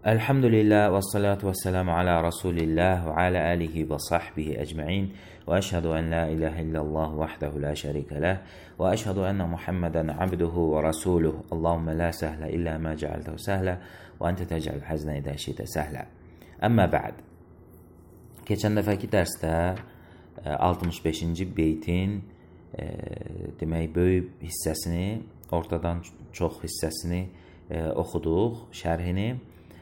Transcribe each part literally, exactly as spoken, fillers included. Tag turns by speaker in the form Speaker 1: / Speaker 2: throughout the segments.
Speaker 1: Elhamdülillah ve salatu ve selamu ala Resulillah ve ala alihi ve sahbihi ecma'in ve eşhedü en la ilahe illallah vahdehu la şerike leh ve eşhedü enne Muhammeden abduhu ve rasuluh. Allahümme la sehle illa ma cealtehu sehle ve ente tecel hazne idâ şite sehle. Əmmə bə'd. Keçən dəfəki dərsdə altmış beşinci beytin e, demək böyük hissəsini, ortadan çox hissəsini e, oxuduq, şərhini.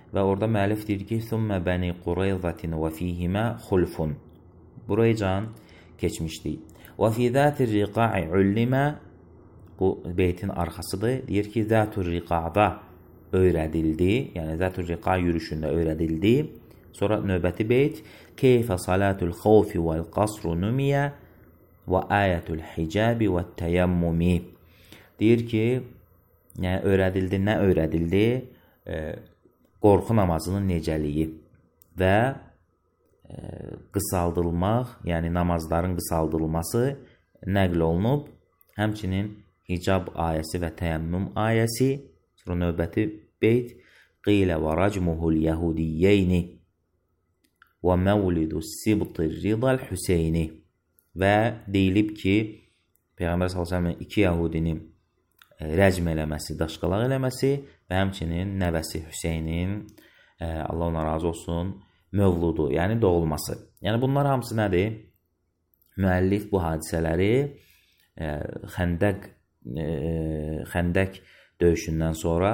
Speaker 1: Və orada müəllif deyir ki, ثُمَّ بَنِي قُرَيْضَةٍ وَفِيهِمَا خُلْفٌ. Buraycan keçmişdik. وَفِي ذَاتِ الرِّقَاعِ عُلِّمَا. Bu beytin arxasıdır. Deyir ki, ذَاتُ الرِّقَعda öyrədildi. Yəni, ذَاتُ الرِّقَع yürüşündə öyrədildi. Sonra növbəti beyt. كَيْفَ صَلَاتُ الْخَوْفِ وَالْقَصْرُ نُمِيَ وَآيَةُ الْحِجَابِ وَالتَّيَمُّمِ. Deyir ki, yəni, öyrədildi, nə öyrədildi? E, qorxu namazının necəliyi və e, qısaldılmaq, yəni namazların qısaldılması nəql olunub. Həmçinin hicab ayəsi və təyəmmüm ayəsi. Sonra növbəti beyt. Qilə və racmuhul yəhudiyyəyni və məvlidu sibtir ridal Hüseyni. Və deyilib ki, Peyğəmbər sallallahu əleyhi və səlləm iki yəhudini rəcm eləməsi, daşqalaq eləməsi və həmçinin nəvəsi Hüseynin, Allah ona razı olsun, mövludu, yəni doğulması. Yəni bunlar hamısı nədir? Müəllif bu hadisələri xəndəq, xəndəq döyüşündən sonra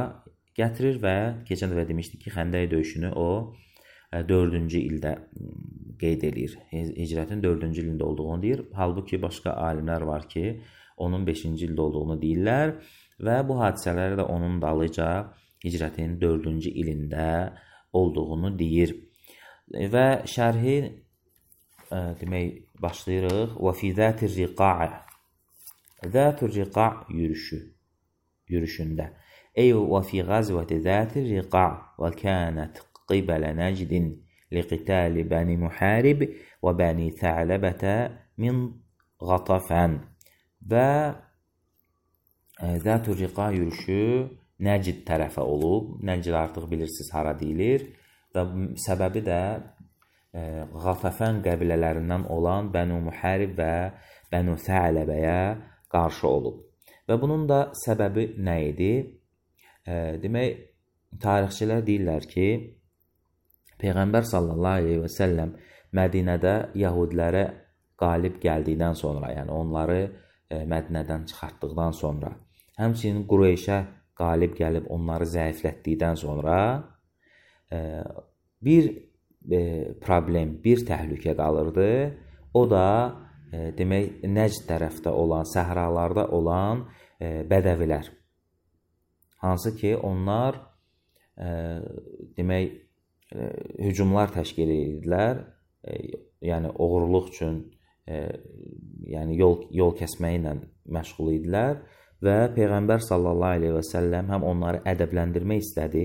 Speaker 1: gətirir və keçən dəfə demişdik ki, xəndəq döyüşünü o dördüncü ildə qeyd edir. Hicrətin dördüncü ilində olduğunu deyir. Halbuki başqa alimlər var ki, onun beşinci ildə olduğunu deyirlər və bu hadisələri də onun dalıca hicrətin dördüncü ilində olduğunu deyir. Və şərhi ə, demək başlayırıq. Və fi zətir riqa'a. Zətir riqa' yürüşü, yürüşündə. Ey və fi qazvəti zətir riqa' və kənət qibələ nəcdin liqitəli bəni muharib və bəni thələbətə min qatafən. Və Zət-ül Riqa yürüşü Nəcid tərəfə olub. Nəcid artıq bilirsiniz hara deyilir. Və səbəbi də e, Qatafən qəbilələrindən olan Bənu Muharib və Bənu Thələbəyə qarşı olub. Və bunun da səbəbi nə idi? E, demək, tarixçilər deyirlər ki, Peyğəmbər sallallahu aleyhi və səlləm Mədinədə Yahudilərə qalib gəldikdən sonra, yəni onları Mədinədən çıxartdıqdan sonra, həmçinin Qureyşə qalib gəlib onları zəiflətdikdən sonra bir problem, bir təhlükə qalırdı. O da demək Nəcd tərəfdə olan, səhralarda olan bədəvilər. Hansı ki, onlar demək hücumlar təşkil edirlər, yəni oğurluq üçün, E, yəni yol, yol kəsməklə məşğul idilər və Peyğəmbər sallallahu aleyhi və səlləm həm onları ədəbləndirmək istədi,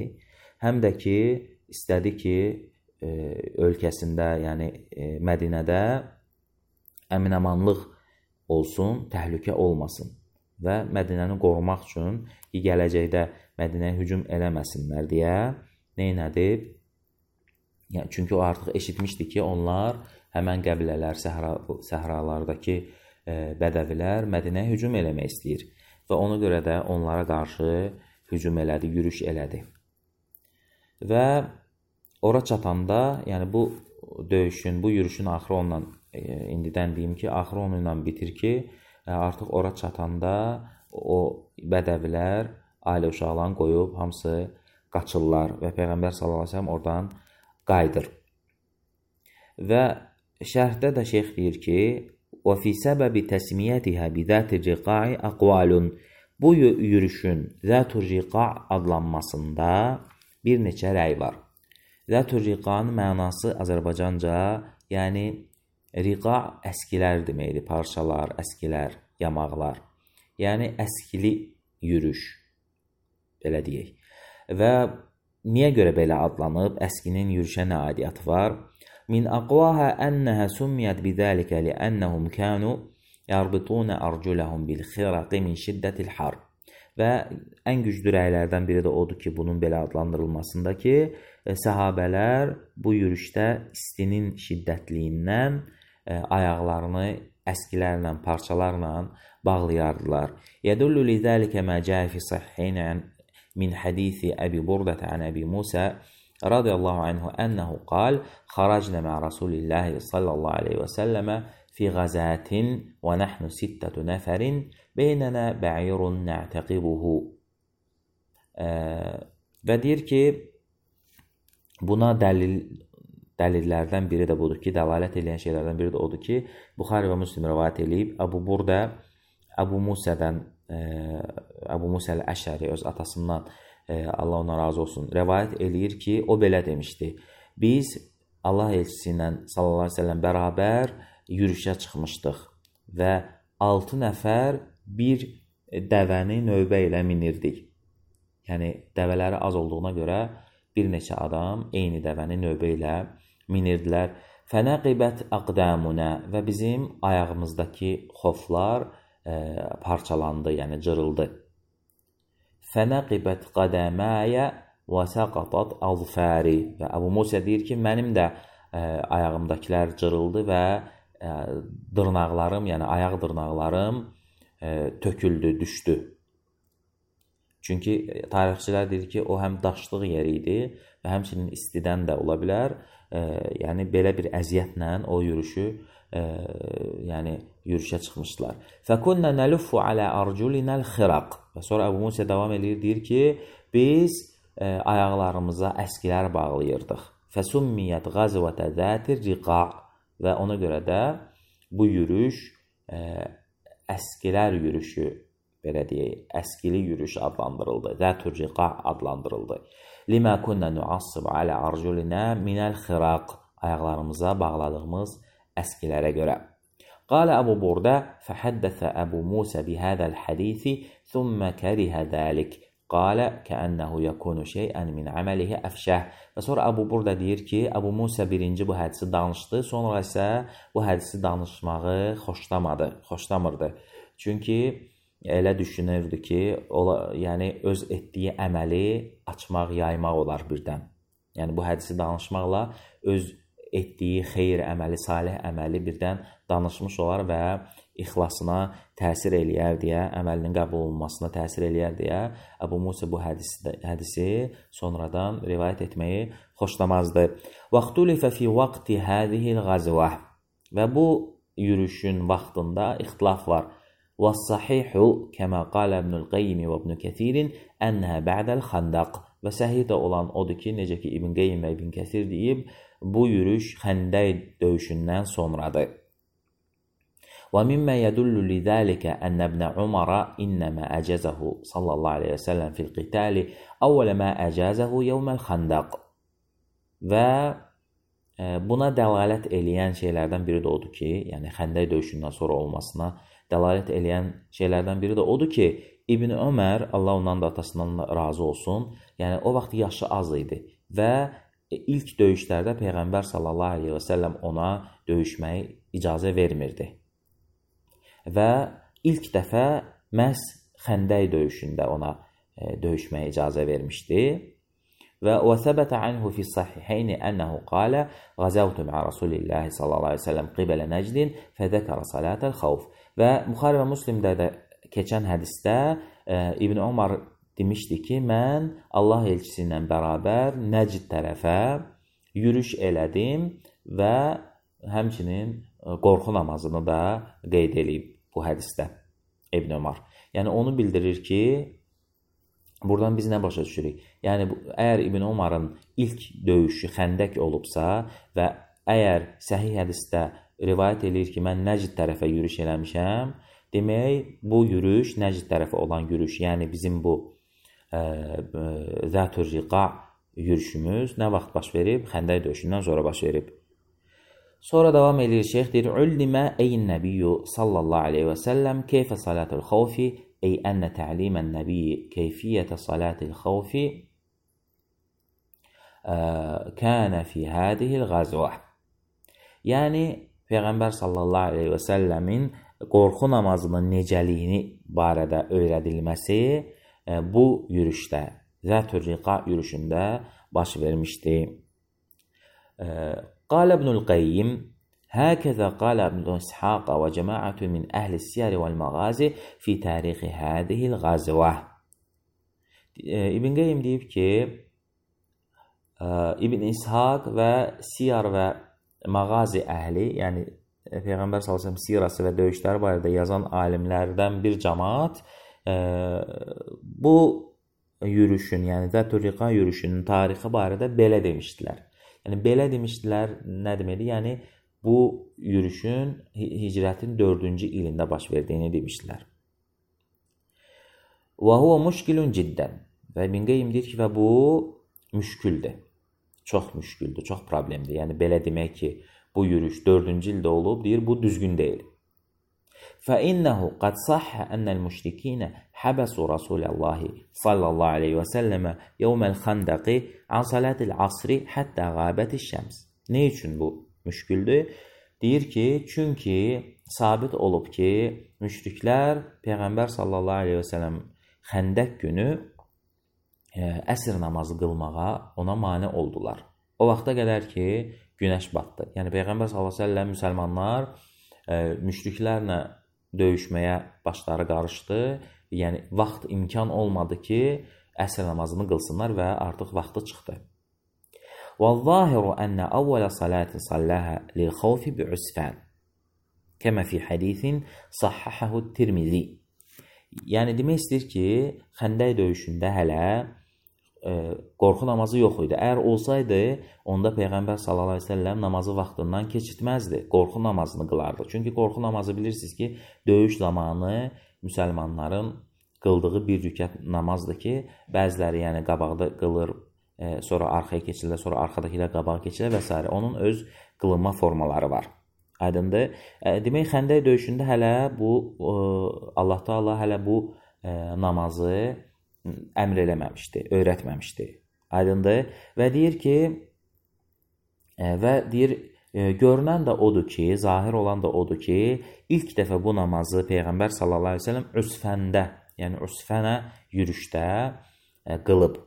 Speaker 1: həm də ki, istədi ki, e, ölkəsində, yəni e, Mədinədə əmin-amanlıq olsun, təhlükə olmasın və Mədinəni qorumaq üçün ki, gələcəkdə Mədinəyə hücum eləməsinlər deyə neynədi? Yəni, çünki o artıq eşitmişdi ki, onlar həmən qəbilələr, səhra, səhralardakı e, bədəvilər Mədinəyə hücum eləmək istəyir. Və ona görə də onlara qarşı hücum elədi, yürüş elədi. Və ora çatanda, yəni bu döyüşün, bu yürüşün axırı onunla, e, indidən deyim ki, axırı onunla bitir ki, e, artıq ora çatanda o bədəvilər ailə uşaqlarını qoyub, hamısı qaçırlar və Peyğəmbər sallallahu əleyhi və səlləm oradan qayıdır. Və şərhdə də şeyx deyir ki, وَفِي سَبَبِ تَسْمِيَتِهَا بِذَاتِ الرِّقَاعِ أَقْوَالٌ. Bu yürüşün Zət-ül Riqa' adlanmasında bir neçə rəy var. Zət-ül Riqa'nın mənası Azərbaycanca, yəni Riqa' əskilər deməkdir, parçalar, əskilər, yamaqlar. Yəni əskili yürüş, belə deyək. Və niyə görə belə adlanıb? Əskinin yürüşə nə aidiyyatı var? Min aqwaha ənəhə sümmiyət bidəlikə liənnəhum kənu yarbituna arculəhum bil xiraqi min şiddətil harb. Və ən güclü rəylərdən biri də odur ki, bunun belə adlandırılmasındakı səhabələr bu yürüşdə istinin şiddətliyindən ayaqlarını əskilərlə, parçalarla bağlayardılar. Yədullu lizəlikə mə cəə fi səhhəynə min hədisi Əbi Burdət ən Əbi Musə radiyallahu anhu ənəhu qal xaracnə mə Rasulillahi sallallahu aleyhi və səlləmə fi qazatin və nəhnu sittətu nəfərin beynənə bə'irun nə'təqibuhu. Və deyir ki, buna dəlil, dəlillərdən biri də budur ki, dəlalət edən şeylərdən biri də odur ki, Buxari və Müslim rivayət edib, Əbu Burdə Əbu Musədən, Əbu Musə əl-Əşəri öz atasından, Allah ona razı olsun, rivayət eləyir ki, o belə demişdi. Biz Allah elçisi ilə sallallahu aleyhi ve sellem bərabər yürüşə çıxmışdıq və altı nəfər bir dəvəni növbə ilə minirdik. Yəni, dəvələri az olduğuna görə bir neçə adam eyni dəvəni növbə ilə minirdilər. Fənəqibət əqdəmunə və bizim ayağımızdakı xoflar e, parçalandı, yəni cırıldı. Fənəqibət qədəməyə və səqatat azfəri və Əbu Musə deyir ki, mənim də e, ayağımdakilər cırıldı və e, dırnaqlarım, yəni ayaq dırnaqlarım e, töküldü, düşdü. Çünki tarixçilər deyir ki, o həm daşlıq yeri idi və həmçinin istidən də ola bilər. E, yəni belə bir əziyyətlə o yürüşü, e, yəni yürüşə çıxmışdılar. Fəkunnə nəluffu alə arculinəl xiraq. Və sonra Əbu Musə davam edir, deyir ki, biz e, ayaqlarımıza əskilər bağlayırdıq. Fəsummiyyət qazvətə zətir riqa və ona görə də bu yürüş e, əskilər yürüşü, belə deyək, əskili yürüş adlandırıldı. Zətur riqa adlandırıldı. Limə kunnə nuassib alə arculinə minəl xiraq. Ayaqlarımıza bağladığımız əskilərə görə. Qalə Əbu Burdə fəhəddəsə Əbu Musə bihədəl hədisi thümmə kərihə dəlik. Qalə kəənnəhu yəkunu şeyən min əməlihi əfşəh. Və sonra Əbu Burdə deyir ki, Əbu Musə birinci bu hədisi danışdı, sonra isə bu hədisi danışmağı xoşlamadı, xoşlamırdı. Çünki elə düşünürdü ki, ola, yəni öz etdiyi əməli açmaq, yaymaq olar birdən. Yəni bu hədisi danışmaqla öz etdiyi xeyir əməli, salih əməli birdən danışmış olar və ixlasına təsir eləyər deyə, əməlinin qəbul olunmasına təsir eləyər deyə Əbu Musə bu hədisi, hədisi sonradan rivayət etməyi xoşlamazdı. Vaxtulifə fi vaqti hədihil qazvə. Və bu yürüşün vaxtında ixtilaf var. وَالصَّحِيحُ كَمَا قَالَ ابْنُ الْقَيِّمِ وَابْنُ كَثِيرٍ أَنَّهَا بَعْدَ الْخَندَقِ. Və səhih də olan odur ki, necə ki İbn Qeyyim və İbn Kəsir deyib, bu yürüş Xəndək döyüşündən sonradır. وَمِمَّا يَدُلُّ لِذَلِكَ أَنَّ ابْنَ عُمَرَ إِنَّمَا أَجَازَهُ صلى الله عليه وسلم في القتال أول ما أجازه يوم الخندق. Və buna dəlalət eləyən şeylərdən biri də odur ki, yəni Xəndək döyüşündən sonra olmasına dəlalət eləyən şeylərdən biri də odur ki, İbn Ömər, Allah ondan da atasından razı olsun, yəni o vaxt yaşı az idi və ilk döyüşlərdə Peyğəmbər sallallahu aleyhi və səlləm ona döyüşməyi icazə vermirdi. Və ilk dəfə məhz Xəndək döyüşündə ona döyüşməyə icazə vermişdi. Və وثبت عنه في الصحيحين أنه قال غزوت مع رسول الله صلى الله عليه وسلم قبل نجد فذكر صلاة الخوف. Və Buxari və Müslimdə də keçən hədisdə e, İbn Ömər demişdi ki, mən Allah elçisi ilə bərabər Nəcd tərəfə yürüş elədim və həmçinin qorxu namazını da qeyd edib bu hədisdə İbn Ömər. Yəni onu bildirir ki, buradan biz nə başa düşürük? Yəni, əgər İbn Ömər'in ilk döyüşü Xəndək olubsa və əgər səhih hədisdə rivayət edir ki, mən Nəcd tərəfə yürüş eləmişəm, demək, bu yürüş, Nəcd tərəfə olan yürüş, yəni bizim bu Zətur Riqa yürüşümüz nə vaxt baş verib? Xəndək döyüşündən sonra baş verib. Sonra davam edir şeyx, deyir, Üllimə əyin nəbiyyü sallallahu aleyhi və səlləm keyfə salatul xavfi أي أن تعليم النبي كيفية صلاة الخوف كان في هذه الغزوة. Yəni Peyğəmbər sallallahu aleyhi və səlləmin qorxu namazının necəliyini barədə öyrədilməsi bu yürüşdə, Zətür Riqa yürüşündə baş vermişdi. Qal İbnül Qayyim هكذا قال ابن إسحاق وجماعة من أهل السير والمغازي في تاريخ هذه الغزوة. İbn Qayyim deyib ki, İbn İshaq və Siyar və Mağazi əhli, yəni Peyğəmbər sallallahu əleyhi və səlləm sirası və döyüşləri barədə yazan alimlərdən bir cəmaət bu yürüşün, yəni Zətür Riqa yürüşünün tarixi barədə belə demişdilər. Yəni belə demişdilər nə deməkdir? Yəni bu yürüşün hicrətin dördüncü ilində baş verdiyini demişdilər. Və huwa müşkilun ciddən. Və İbn Qayyim deyir ki, və bu müşküldür. Çox müşküldür, çox problemdir. Yəni belə demək ki, bu yürüş dördüncü ildə olub, deyir, bu düzgün deyil. فَإِنَّهُ قَدْ صَحَّ أَنَّ الْمُشْرِكِينَ حَبَسُوا رَسُولَ اللّٰهِ صَلَّى اللّٰهُ عَلَيْهِ وَسَلَّمَ يَوْمَ الْخَنْدَقِ عَنْ صَلَاةِ الْعَصْرِ حَتَّى غَابَتِ الشَّمْسِ. Ne üçün bu müşküldür? Deyir ki, çünki sabit olub ki, müşriklər Peyğəmbər sallallahu aleyhi və səlləm Xəndək günü əsr namazı qılmağa ona mane oldular. O vaxta qədər ki, günəş batdı. Yəni Peyğəmbər sallallahu aleyhi və səlləm müsəlmanlar müşriklərlə döyüşməyə başları qarışdı. Yəni vaxt imkan olmadı ki, əsr namazını qılsınlar və artıq vaxtı çıxdı. وَالظَّاهِرُ أَنَّ أَوَّلَ صَلَاةٍ صَلَّاهَا لِلْخَوْفِ بِعُسْفَانٍ كَمَا فِي حَدِيثٍ صَحَّحَهُ التِّرْمِذِي. Yəni demək istəyir ki, Xəndək döyüşündə hələ e, qorxu namazı yox idi. Əgər olsaydı, onda Peyğəmbər sallallahu əleyhi və səlləm namazı vaxtından keçirtməzdi. Qorxu namazını qılardı. Çünki qorxu namazı bilirsiniz ki, döyüş zamanı müsəlmanların qıldığı bir rükət namazdır ki, bəziləri yəni qabaqda qılır, e, sonra arxaya keçirlər, sonra arxadakilər qabağa keçirlər və s. Onun öz qılınma formaları var. Aydındır. E, demək, Xəndək döyüşündə hələ bu, e, Allah Teala hələ bu e, namazı əmr eləməmişdi, öyrətməmişdi. Aydındır. Və deyir ki, e, və deyir, e, görünən də odur ki, zahir olan da odur ki, ilk dəfə bu namazı Peyğəmbər sallallahu əleyhi və səlləm Üsfəndə, yəni Üsfənə yürüşdə e, qılıb.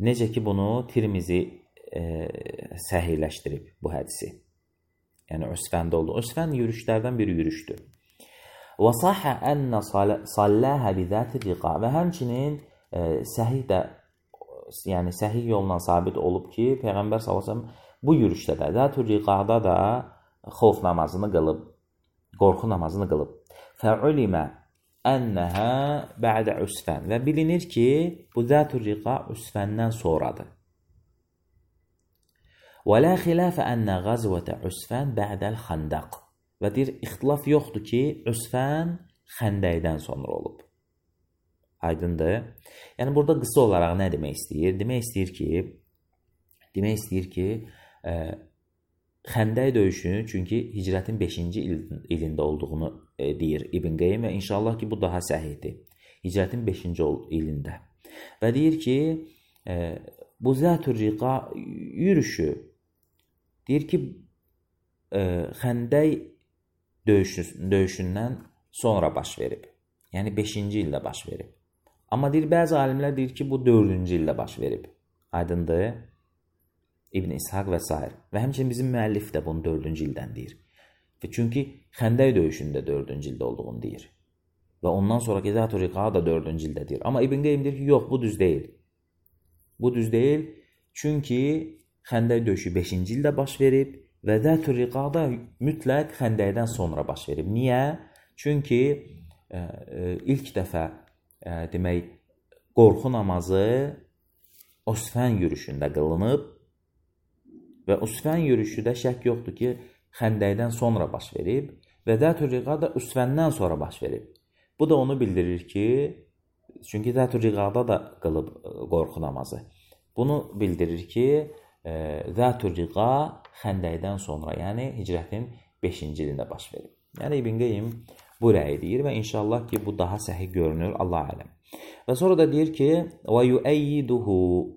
Speaker 1: Necə ki, bunu Tirmizi e, səhihləşdirib bu hədisi. Yəni Üsfəndə oldu. Üsfən yürüşlərdən bir yürüşdür. Və sahə ənə salləhə bizəti riqa. Və həmçinin e, səhih də, yəni səhih yolla sabit olub ki, Peyğəmbər sallallahu əleyhi və səlləm bu yürüşdə də, Zətür Riqada da xof namazını qılıb, qorxu namazını qılıb. Fəulimə ənəhə bə'də Üsfən. Və bilinir ki, bu Zətür Riqa Üsfəndən sonradır. Və lə xilafə ənə qazvətə Üsfən bə'dəl Xəndəq. Və deyir, ixtilaf yoxdur ki, Üsfən Xəndəkdən sonra olub. Aydındır. Yəni, burada qısa olaraq nə demək istəyir? Demək istəyir ki, demək istəyir ki, ə, Xəndək döyüşünü, çünki hicrətin beşinci ilində olduğunu e, deyir İbn Qayyim və inşallah ki, bu daha səhihdir. Hicrətin beşinci ilində. Və deyir ki, e, bu Zətür Riqa yürüşü, deyir ki, e, Xəndək döyüşü, döyüşündən sonra baş verib. Yəni beşinci ildə baş verib. Amma deyir, bəzi alimlər deyir ki, bu dördüncü ildə baş verib. Aydındır. İbn İshaq və s. Və həmçinin bizim müəllif də bunu dördüncü ildən deyir. Və çünki Xəndək döyüşündə dördüncü ildə olduğunu deyir. Və ondan sonraki Zətür Riqa da dördüncü ildə deyir. Amma İbn Qayyim deyir ki, yox, bu düz deyil. Bu düz deyil. Çünki Xəndək döyüşü beşinci ildə baş verib və Zətür Riqa da mütləq Xəndəkdən sonra baş verib. Niyə? Çünki e, e, ilk dəfə e, demək, qorxu namazı Üsfən yürüşündə qılınıb və Üsfən yürüşü də şək yoxdur ki, Xəndəkdən sonra baş verib və Zətür Riqa da Üsfəndən sonra baş verib. Bu da onu bildirir ki, çünki Zətür Riqada da qılıb qorxu namazı. Bunu bildirir ki, Zətür Riqa Xəndəkdən sonra, yəni hicrətin beşinci ilində baş verib. Yəni İbn Qayyim bu rəyi deyir və inşallah ki, bu daha səhih görünür, Allah aləm. Və sonra da deyir ki, وَيُؤَيِّدُهُ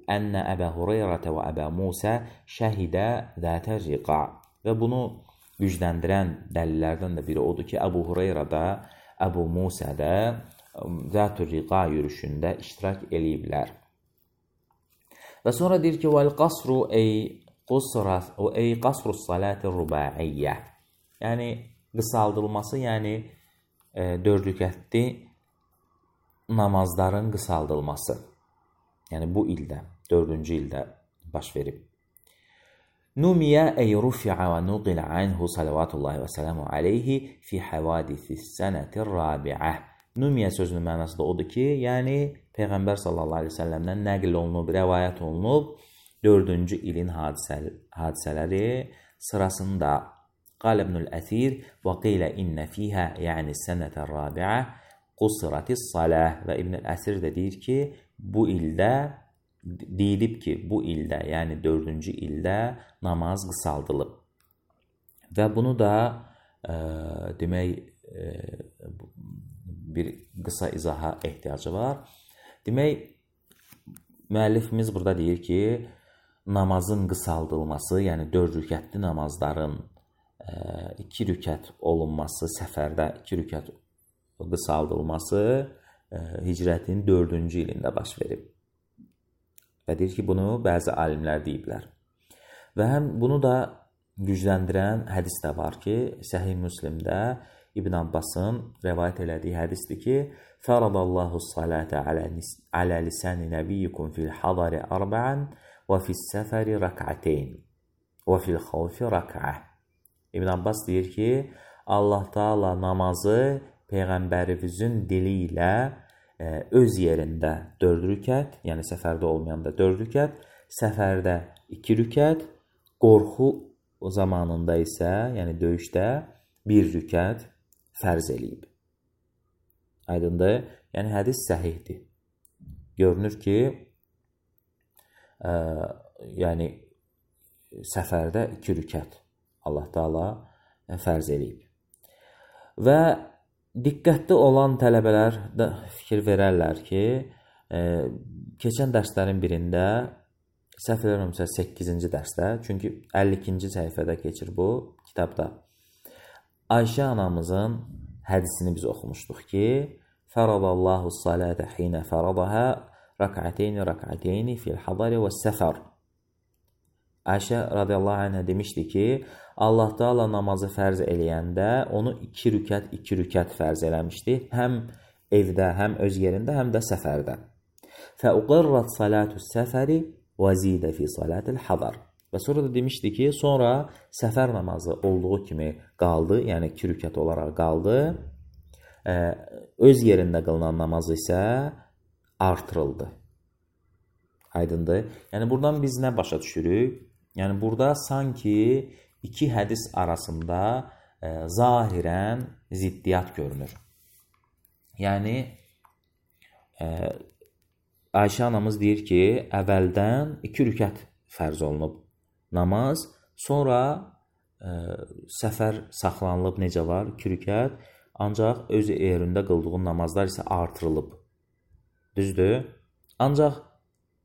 Speaker 1: أَنَّ أَبَا هُرَيْرَةَ وَأَبَا مُوسَى شَهِدَ ذَاتَ الرِّقَى. Və bunu gücləndirən dəlillərdən də biri odur ki, Əbu Hureyra da, Əbu Musa da Zat-ül Riqa yürüşündə iştirak eləyiblər. Və sonra deyir ki, vəl qasru ey qusra ey qasru salati rubaiyyə. Yəni qısaldılması, yəni e, dörd rükətli namazların qısaldılması. Yəni bu ildə, dördüncü ildə baş verib. Numiyə ey rufi'a və nuqilə anhu salavatullahi və sələmu aleyhi fi havadisi sənətir rabi'ə. Numiyə sözünün mənası da odur ki, yəni Peyğəmbər sallallahu aleyhi ve səlləmdən nəql olunub, rəvayət olunub, dördüncü ilin hadisə, hadisələri sırasında qal İbnül Əsir və qilə innə fiyhə, yəni sənətər rabi'ə qusratis saləh. Və İbnül Əsir də deyir ki, bu ildə deyilib ki, bu ildə, yəni dördüncü ildə namaz qısaldılıb. Və bunu da e, demək e, bir qısa izaha ehtiyacı var. Demək, müəllifimiz burada deyir ki, namazın qısaldılması, yəni dörd rükətli namazların e, iki rükət olunması, səfərdə iki rükət qısaldılması e, hicrətin dördüncü ilində baş verib. Və deyir ki, bunu bəzi alimlər deyiblər. Və həm bunu da gücləndirən hədis də var ki, Səhih Müslimdə İbn Abbasın rəvayət elədiyi hədisdir ki, Fəradallahu salətə alə lisəni nəbiyyikum fil hadari arba'an və fil səfəri rək'ateyn və fil xavfi rək'ə. İbn Abbas deyir ki, Allah Taala namazı Peyğəmbərimizin dili ilə öz yerində dörd rükət, yəni səfərdə olmayanda dörd rükət, səfərdə iki rükət, qorxu zamanında isə, yəni döyüşdə bir rükət fərz eləyib. Aydındır? Yəni hədis səhihdir. Görünür ki, ə, yəni səfərdə iki rükət Allah Taala fərz eləyib. Və diqqətli olan tələbələr də fikir verərlər ki, e, keçən dərslərin birində, səhv eləmirəmsə səkkizinci dərsdə, çünki əlli ikinci səhifədə keçir bu kitabda, Ayşə anamızın hədisini biz oxumuşduq ki, Fəradallahu salətə xinə fəradəhə rək'ateyni rək'ateyni fil hadari və səfər. Ayşə radiyallahu anhə demişdi ki, Allah Taala namazı fərz eləyəndə onu iki rükət, iki rükət fərz eləmişdi. Həm evdə, həm öz yerində, həm də səfərdə. Fəuqirrat salatu səfəri və zidə fi salatil hadar. Və sonra da demişdi ki, sonra səfər namazı olduğu kimi qaldı, yəni iki rükət olaraq qaldı. Öz yerində qılınan namaz isə artırıldı. Aydındır? Yəni buradan biz nə başa düşürük? Yəni burada sanki iki hədis arasında e, zahirən ziddiyyat görünür. Yəni e, Ayşə anamız deyir ki, əvvəldən iki rükət fərz olunub namaz, sonra e, səfər saxlanılıb, necə var? iki rükət, ancaq öz yerində qıldığın namazlar isə artırılıb. Düzdür? Ancaq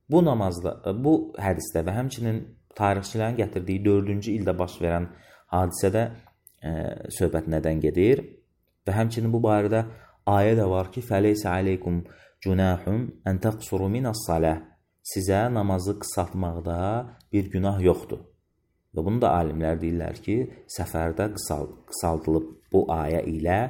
Speaker 1: bu namazda, bu hədisdə və həmçinin tarixçilərin gətirdiyi dördüncü ildə baş verən hadisədə e, söhbət nədən gedir? Və həmçinin bu barədə ayə də var ki, fəleysə aleykum cunahum ən təqsuru minas-salah. Sizə namazı qısaltmaqda bir günah yoxdur. Və bunu da alimlər deyirlər ki, səfərdə qısal, qısaldılıb bu ayə ilə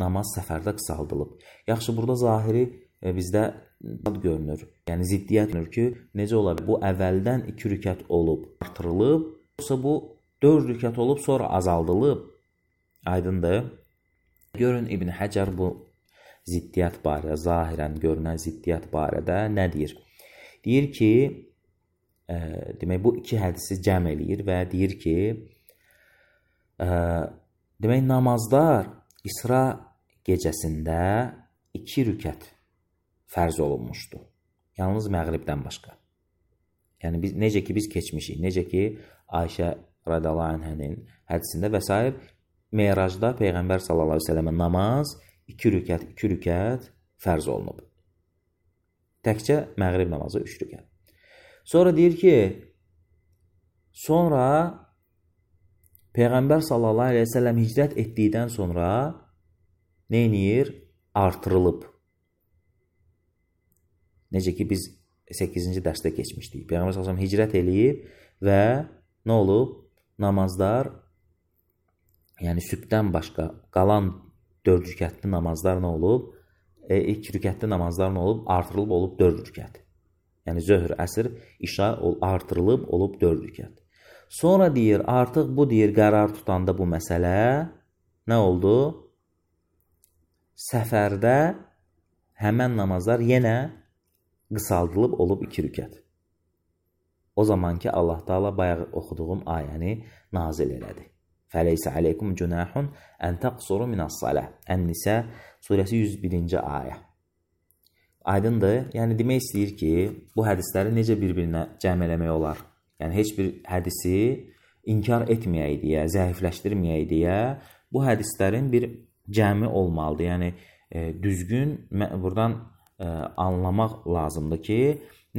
Speaker 1: namaz səfərdə qısaldılıb. Yaxşı, burada zahiri e, bizdə görünür. Yəni ziddiyyət görünür ki, necə ola bilər? Bu əvvəldən iki rükət olub, artırılıb, yoxsa bu dörd rükət olub, sonra azaldılıb. Aydındır? Görün İbn Həcər bu ziddiyyət barədə, zahirən görünən ziddiyyət barədə nə deyir? Deyir ki, e, demək bu iki hədisi cəm eləyir və deyir ki, e, demək namazlar İsra gecəsində iki rükət fərz olunmuşdu. Yalnız məğribdən başqa. Yəni biz necə ki biz keçmişik, necə ki Ayşə radiyallahu anhənin hədisində və s. Meyracda Peyğəmbər sallallahu əleyhi və səlləmə namaz iki rükət, iki rükət fərz olunub. Təkcə məğrib namazı üç rükət. Sonra deyir ki, sonra Peyğəmbər sallallahu əleyhi və səlləm hicrət etdikdən sonra nə edir? Artırılıb. Necə ki biz səkkizinci dərsdə keçmişdik. Peyğəmbər sallallahu əleyhi və səlləm hicrət eləyib və nə olub? Namazlar, yəni sübhdən başqa qalan dörd rükətli namazlar nə olub? E, ilk rükətli namazlar nə olub? Artırılıb olub dörd rükət. Yəni zöhr, əsr, işa artırılıb olub dörd rükət. Sonra deyir, artıq bu deyir qərar tutanda bu məsələ nə oldu? Səfərdə həmən namazlar yenə qısaldılıb olub iki rükət. O zaman ki Allah Taala bayaq oxuduğum ayəni nazil elədi. Fəleysə aleykum cunahun ən təqsuru minas-salah. Ən-Nisa surəsi yüz birinci ayə. Aydındır? Yəni demək istəyir ki, bu hədisləri necə bir-birinə cəm eləmək olar? Yəni heç bir hədisi inkar etməyək deyə, zəifləşdirməyək deyə bu hədislərin bir cəmi olmalıdır. Yəni e, düzgün buradan e, anlamaq lazımdır ki,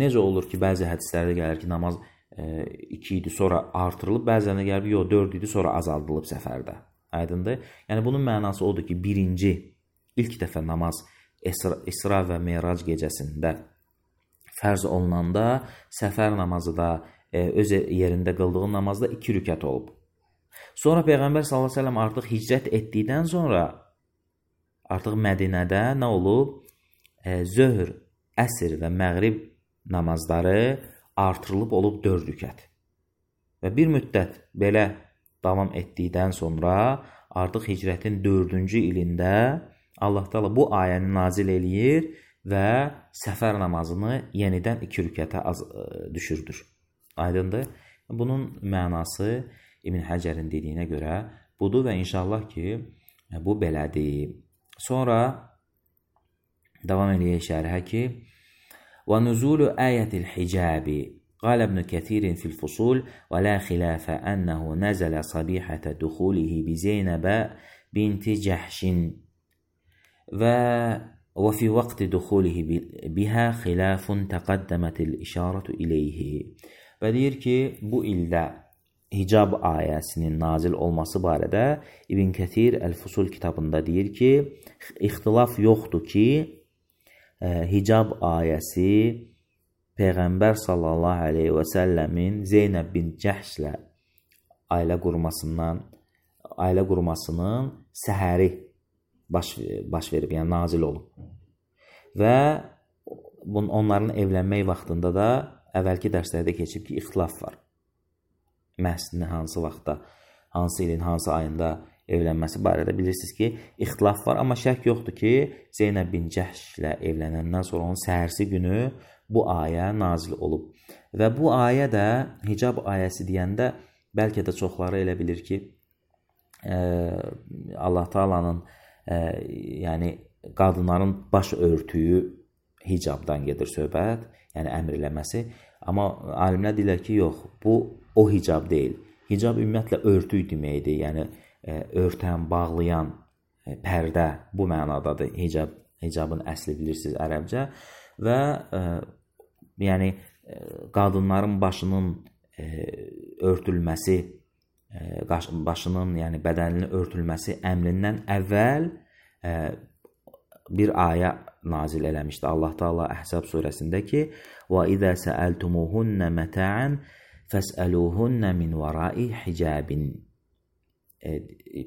Speaker 1: necə olur ki, bəzi hədislərdə gəlir ki, namaz e, iki idi, sonra artırılıb, bəzəndə gəlir ki, yox, dörd idi, sonra azaldılıb səfərdə. Aydındır? Yəni bunun mənası odur ki, birinci, ilk dəfə namaz İsra, İsra və Meyrac gecəsində fərz olunanda, səfər namazı da e, öz yerində qıldığın namazda iki rükət olub. Sonra Peyğəmbər sallallahu əleyhi və səlləm artıq hicrət etdikdən sonra artıq Mədinədə nə olub? E, zöhr, əsr və məğrib namazları artırılıb olub dörd rükət. Və bir müddət belə davam etdikdən sonra artıq hicrətin dördüncü ilində Allah Taala bu ayəni nazil eləyir və səfər namazını yenidən iki rükətə az ə, düşürdür. Aydındır? Bunun mənası İbn Həcərin dediyinə görə budur və inşallah ki, bu belədir. Sonra davam eləyək şərhə ki, وَنُزُولُ آيَةِ الْحِجَابِ قال ابن كثير في الفصول ولا خلاف أنه نزل صبيحة دخوله بزينب بنت جحش وفي وقت دخوله بها خلاف تقدمت الإشارة إليه. Və deyir ki, bu ildə hicab ayəsinin nazil olması barədə İbn Kəthir Əl-Fusul kitabında deyir ki, ixtilaf yoxdur ki, hicab ayəsi Peyğəmbər sallallahu aleyhi və səlləmin Zeynəb bin Cəhşlə ailə qurmasından, ailə qurmasının səhəri baş, baş verib, yəni nazil olub. Və onların evlənmək vaxtında da əvvəlki dərslərdə keçib ki, ixtilaf var. Məhz hansı vaxtda, hansı ilin, hansı ayında evlənməsi barədə bilirsiniz ki, ixtilaf var, amma şək yoxdur ki, Zeynəb bin Cəhşlə evlənəndən sonra onun səhərsi günü bu ayə nazil olub. Və bu ayə də hicab ayəsi deyəndə bəlkə də çoxları elə bilir ki, e, Allah Taala'nın e, yəni qadınların baş örtüyü hicabdan gedir söhbət, yəni əmr eləməsi. Amma alimlər deyirlər ki, yox, bu o hicab deyil. Hicab ümumiyyətlə örtük deməkdir, yəni e, örtən, bağlayan, e, pərdə bu mənadadır hicab. Hicabın əsli bilirsiniz ərəbcə və e, yəni e, qadınların başının e, örtülməsi, e, başının, yəni bədəninin örtülməsi əmrindən əvvəl e, bir ayə nazil eləmişdi Allah Taala Əhzab surəsində ki: "Və izə səəltumuhunna mata'an fəsəluhunna min vara'i hicabin." E,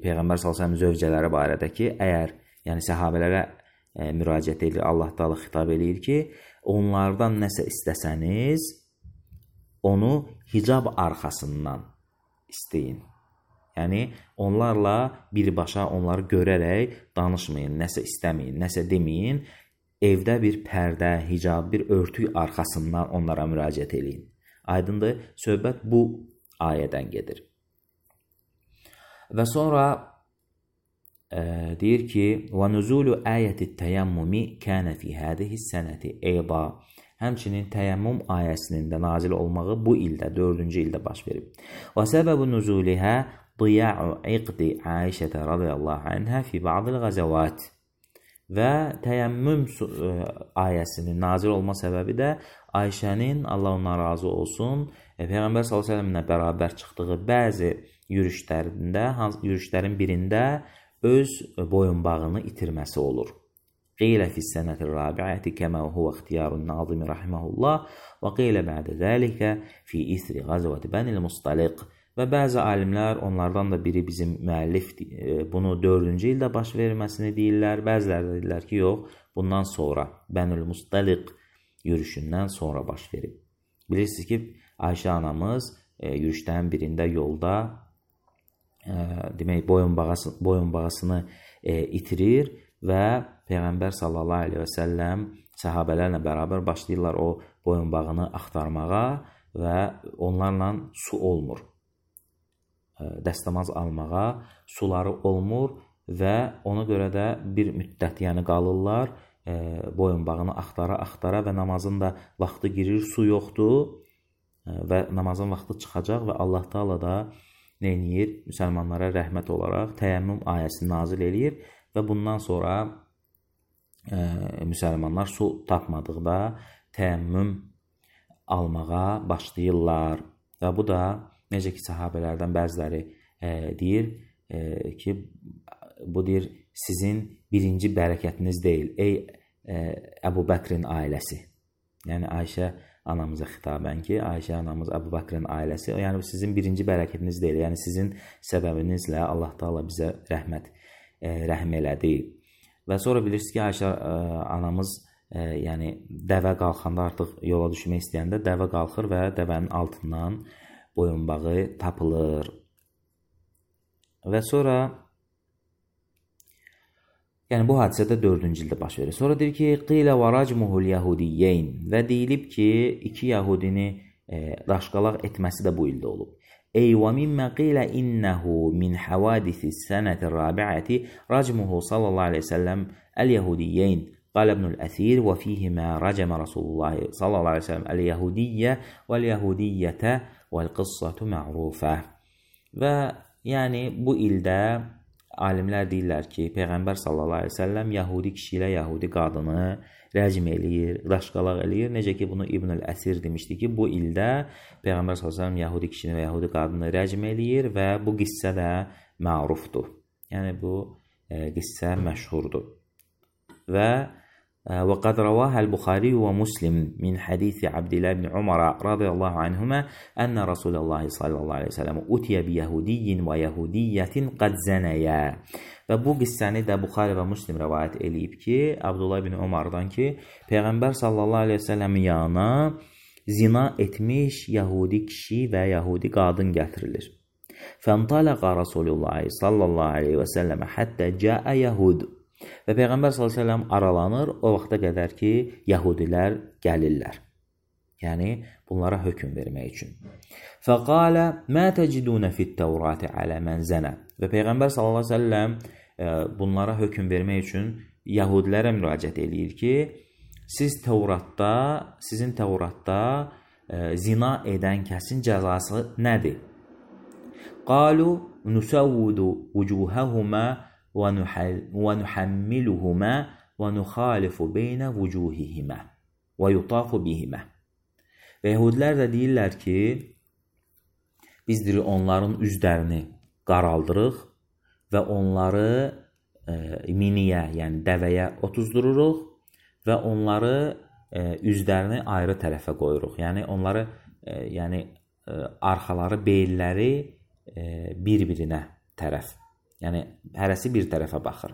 Speaker 1: Peyğəmbər sallallahu əleyhi və səlləm zövcələri barədə ki, əgər yəni səhabələrə e, müraciət edir, Allah Taala xitab eləyir ki, onlardan nəsə istəsəniz, onu hicab arxasından istəyin. Yəni, onlarla birbaşa onları görərək danışmayın, nəsə istəməyin, nəsə deməyin. Evdə bir pərdə, hicab, bir örtük arxasından onlara müraciət eləyin. Aydındır, söhbət bu ayədən gedir. Və sonra e, deyir ki, وَنُزُولُ آيَةِ التَّيَمُّمِ كَانَ فِي هَذِهِ السَّنَةِ اَيْضًا. Həmçinin təyəmmüm ayəsinin də nazil olmağı bu ildə, dördüncü ildə baş verib. وَسَبَبُ نُزُولِهَا ضِيَاعُ عِقْدِ عَيْشَةَ رَضِيَ اللّٰهُ عَنْهَا فِي بَعْضِ الْغَزَوَاتِ. Və təyəmmüm ayəsinin nazil olma səbəbi də Ayşənin, Allah ondan razı olsun, Peyğəmbər sallallahu əleyhi və səlləmlə bərabər çıxdığı bəzi yürüşlərində, yürüşlərin birində öz boyunbağını itirməsi olur. قيل في السنة الرابعة كما هو اختيار الناظم رحمه الله وقيل بعد ذلك في إثر غزوة بني المصطلق. Və bəzi alimlər, onlardan da biri bizim müəllif, bunu dördüncü ildə baş verməsini deyirlər. Bəziləri də deyirlər ki, yox, bundan sonra Bənül Mustaliq yürüşündən sonra baş verib. Bilirsiniz ki, Ayşə anamız e, yürüşlərin birində yolda e, demək boyunbağısını, boyunbağısını e, itirir və Peyğəmbər sallallahu aleyhi və səlləm səhabələrlə bərabər başlayırlar o boyunbağını axtarmağa və onlarla su olmur. Dəstəmaz almağa, suları olmur və ona görə də bir müddət yəni qalırlar, e, boyunbağını axtara-axtara və namazın da vaxtı girir, su yoxdur e, və namazın vaxtı çıxacaq və Allah Taala da nə edir? Müsəlmanlara rəhmət olaraq təyəmmüm ayəsini nazil eləyir və bundan sonra e, müsəlmanlar su tapmadıqda təyəmmüm almağa başlayırlar və bu da necə ki, sahabələrdən bəziləri e, deyir e, ki, bu deyir, sizin birinci bərəkətiniz deyil, ey e, Əbu Bəkrin ailəsi. Yəni, Ayşə anamıza xitabən ki, Ayşə anamız Əbu Bəkrin ailəsi, yəni sizin birinci bərəkətiniz deyil, yəni sizin səbəbinizlə Allah Taala bizə rəhmət, e, rəhm elədi. Və sonra bilirsiniz ki, Ayşə e, anamız e, yəni dəvə qalxanda artıq yola düşmək istəyəndə dəvə qalxır və dəvənin altından boyunbağı tapılır. Və sonra yəni bu hadisədə dördüncü ildə baş verir. Sonra deyir ki, qilə və racmuhul yahudiyyeyn və deyilib ki, iki yahudini e, daşqalaq etməsi də bu ildə olub. Ey və mimmə qilə innəhu min havadisi sənəti rabiəti racmuhu sallallahu aleyhi ve səlləm əl-yahudiyyeyn. قال ابن الأثير وفيهما رجم رسول الله صلى الله عليه وسلم اليهودية واليهودية والقصة معروفة. Və yəni bu ildə alimlər deyirlər ki, Peyğəmbər sallallahu aleyhi ve səlləm Yahudi kişi ilə Yahudi qadını rəcm eləyir, daşqalaq eləyir. Necə ki, bunu İbn el-Əsir demişdi ki, bu ildə Peyğəmbər sallallahu aleyhi ve səlləm Yahudi kişini və Yahudi qadını rəcm eləyir və bu qissə də mərufdur. Yəni bu e, qissə məşhurdur. Və وقد رواها البخاري ومسلم من حديث عبد الله بن عمر رضي الله عنهما أن رسول الله صلى الله عليه وسلم أتي بيهودي ويهودية قد زنيا. Və bu qissəni də Buxari və Müslim rəvayət eləyib ki, Abdullah ibn Umardan ki, Peyğəmbər sallallahu aleyhi ve sellem yanına zina etmiş Yahudi kişi və Yahudi qadın gətirilir. Fəntalaqa Rasulullah sallallahu aleyhi ve sellem həttə cəə Yahud. Və Peyğəmbər sallallahu aleyhi ve sellem aralanır o vaxta qədər ki, Yahudilər gəlirlər. Yəni, bunlara hökm vermək üçün. Fəqalə mə təcidunə fit-təvrati alə mən zənə. Və Peyğəmbər sallallahu aleyhi ve sellem bunlara hökm vermək üçün Yahudilərə müraciət eləyir ki, siz Tevratda, sizin Tevratda e, zina edən kəsin cəzası nədir? Qalu nusavvudu vucuhəhumə وَنُحَمِّلُهُمَا وَنُخَالِفُ بَيْنَ وُجُوهِهِمَا وَيُطَافُ بِهِمَا. Və Yəhudilər də deyirlər ki, biz onların üzlərini qaraldırıq və onları e, miniyə, yəni dəvəyə otuzdururuq və onları e, üzlərini ayrı tərəfə qoyuruq. Yəni onları, e, yəni e, arxaları, beyilləri e, bir-birinə tərəf. Yəni, hərəsi bir tərəfə baxır.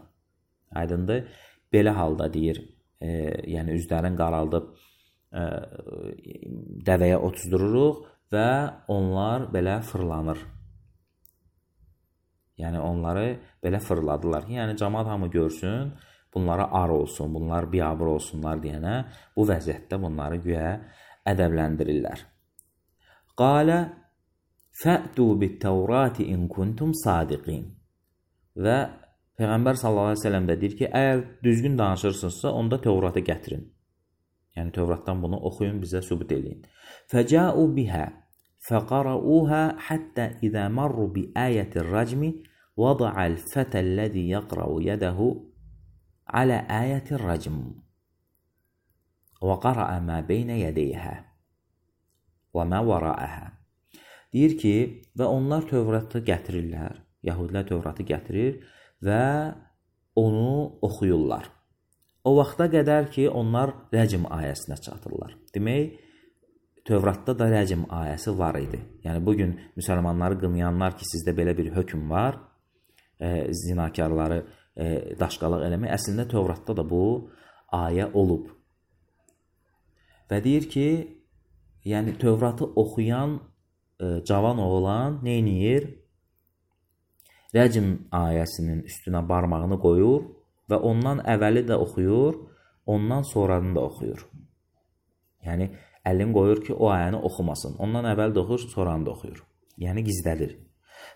Speaker 1: Aydındır. Belə halda deyir, e, yəni üzlərin qaraldıb e, dəvəyə otuzdururuq və onlar belə fırlanır. Yəni, onları belə fırladılar. Yəni, cəmaat hamı görsün, bunlara ar olsun, bunlar biabır olsunlar deyənə bu vəziyyətdə bunları güya ədəbləndirirlər. Qalə fə'tu bit-təvrati in kuntum sadiqin. Və Peyğəmbər sallallahu aleyhi ve sellem də deyir ki, əgər düzgün danışırsınızsa, onda Tevratı gətirin. Yəni, Tevratdan bunu oxuyun, bizə sübut eləyin. Fəcəu bihə fəqarauhə həttə izə marru bi ayətir rəcmi vəda'al fətəlləzi yəqra'u yədəhu alə ayətir rəcm və qara'a mə beynə yədəyhə və mə vərəəhə. Deyir ki, və onlar Tevratı gətirirlər. Yahudilər Tövratı gətirir və onu oxuyurlar. o vaxta qədər ki, onlar rəcm ayəsinə çatırlar. Demək, Tövratda da rəcm ayəsi var idi. Yəni, bugün müsəlmanları qınayanlar ki, sizdə belə bir hökm var, e, zinakarları e, daşqalaq eləmək, əslində Tövratda da bu ayə olub. Və deyir ki, yəni Tövratı oxuyan e, cavan oğlan neyniyir? Rəcm ayəsinin üstünə barmağını qoyur və ondan əvvəli də oxuyur, ondan sonranı da oxuyur. Yəni, əlini qoyur ki, o ayəni oxumasın. Ondan əvvəl də oxuyur, sonranı da oxuyur. Yəni, gizlədir.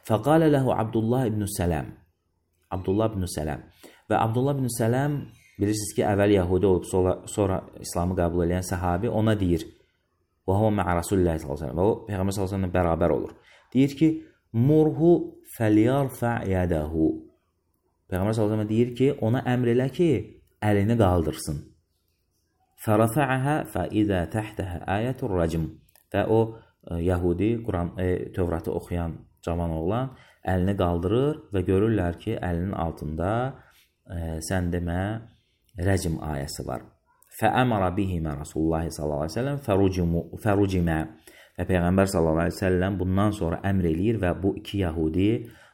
Speaker 1: Fəqalə ləhu Abdullah ibn Sələm. Abdullah ibn Sələm. Və Abdullah ibn Sələm, bilirsiniz ki, əvvəl Yahudi olub, sonra, sonra İslamı qəbul edən səhabi ona deyir, və huvə mə'ə Rasulullah sallallahu əleyhi və səlləm. Və o, Peyğəmbər sallallahu əleyhi və səlləm bərabər olur. Deyir ki, murhu fəliyarfə yədəhu. Peyğəmbər sallallahu əleyhi və səlləm deyir ki, ona əmr elə ki, əlini qaldırsın. Fərafə'əhə fəidə təhtəhə ayətur rəcm. Və o, e, Yahudi, Quran, e, Tövratı oxuyan cavan oğlan əlini qaldırır və görürlər ki, əlinin altında e, sən demə rəcm ayəsi var. Fəəmara bihimə Rasulullah sallallahu əleyhi və səlləm fərucimə. Və Peyğəmbər sallallahu əleyhi və səlləm bundan sonra əmr eləyir və bu iki Yahudi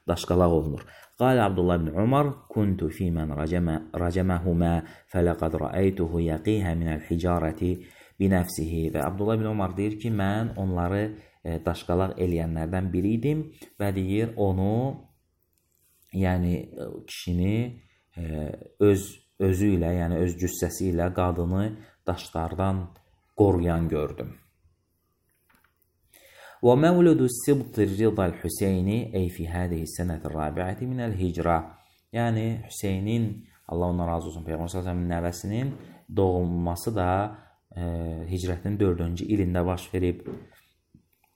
Speaker 1: daşqalaq olunur. Qalə Abdullah ibn Umar, kuntu fi mən rəcəməhumə fələqad rəəytuhu yəqihə minəl hicarəti binəfsihi. Və Abdullah ibn Umar deyir ki, mən onları e, daşqalaq eləyənlərdən biri idim və deyir, onu, yəni kişini e, öz özü ilə, yəni öz cüssəsi ilə qadını daşlardan qoruyan gördüm. ومولد السبط الرضا الحسيني أي في هذه السنة الرابعة من الهجرة. Yəni Hüseynin, Allah ondan razı olsun, Peyğəmbər sallallahu əleyhi və səlləmin nəvəsinin doğulması da e, hicrətin dördüncü ilində baş verib.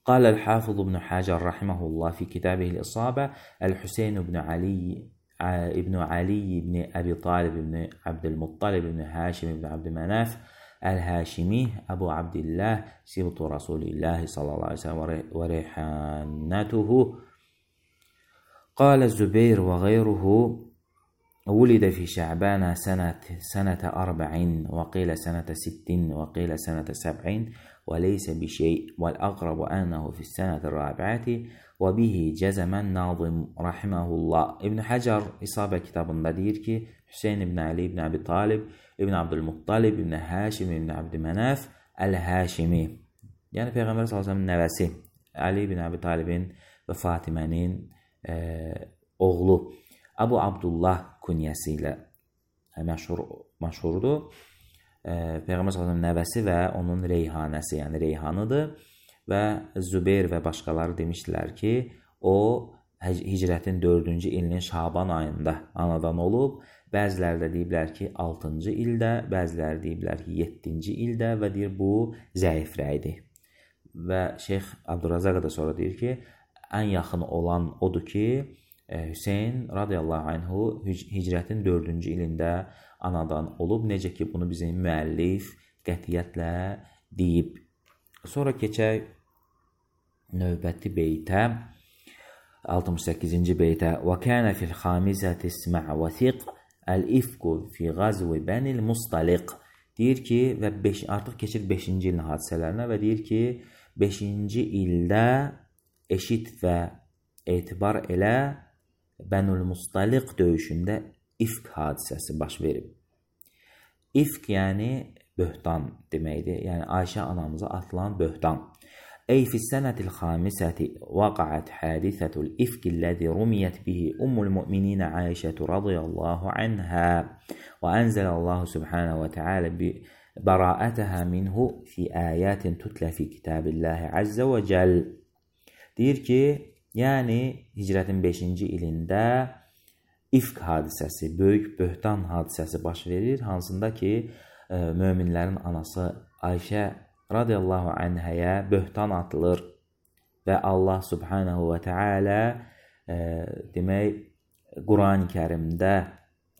Speaker 1: قال الحافظ ابن حجر رحمه الله في كتابه الإصابة الحسين بن علي ابن علي بن أبي طالب بن عبد المطلب بن هاشم بن عبد مناف الهاشمي أبو عبد الله سبط رسول الله صلى الله عليه وسلم وريحانته. قال الزبير وغيره ولد في شعبان سنة سنة أربع وقيل سنة ست وقيل سنة سبع وليس بشيء والأقرب أنه في السنة الرابعة وبه جزم الناظم رحمه الله. İbn Hacer İsabe kitabında deyir ki, Hüseyin ibn Ali ibn Abi Talib ibn Abdülmuttalib ibn Haşim ibn Abdümenaf el-Haşimi. Yəni Peyğəmbər sallallahu əleyhi və səlləmin nəvəsi Ali ibn Abi Talibin və Fatimənin e, oğlu Abu Abdullah künyəsi ilə məşhur, məşhurdur. E, Peyğəmbər sallallahu əleyhi və səlləmin nəvəsi və onun reyhanəsi, yəni reyhanıdır. Və Zübeyr və başqaları demişdilər ki, o hicrətin dördüncü ilinin Şaban ayında anadan olub. Bəziləri də deyiblər ki, altıncı ildə, bəziləri deyiblər ki, yeddinci ildə və deyir, bu zəif rəydir. Və Şeyx Abdurrazaq da sonra deyir ki, ən yaxın olan odur ki, Hüseyin radiyallahu anhu hicrətin dördüncü ilində anadan olub. Necə ki, bunu bizim müəllif qətiyyətlə deyib. Sonra keçək növbəti beytə, altmış səkkizinci beytə. Və kənə fil xamizəti ismə' və thiq əl-ifku fi qazvi bənil mustaliq. Deyir ki, və beş, artıq keçir beşinci ilin hadisələrinə və deyir ki, beşinci ildə eşit və etibar elə Bənül Mustaliq döyüşündə ifk hadisəsi baş verib. İfk yəni böhtan deməkdir. Yəni Ayşə anamıza atılan böhtan. Ey fissənətil xamisəti vaqa'at hadisətul ifkilləzi rumiyət bihi ummul müminə Ayşətu radiyallahu anhə və ənzəlallahu subhanə və teala bəra'ətəhə minhu fi ayətin tutlə fi kitabillahi əzzə və cəl. Deyir ki, yəni hicrətin beşinci ilində ifk hadisəsi, böyük böhtan hadisəsi baş verir, hansında ki, e, möminlərin anası Ayşə radiyallahu anhəyə böhtan atılır və Allah subhanahu və teala e, demək, Quran-ı Kərimdə,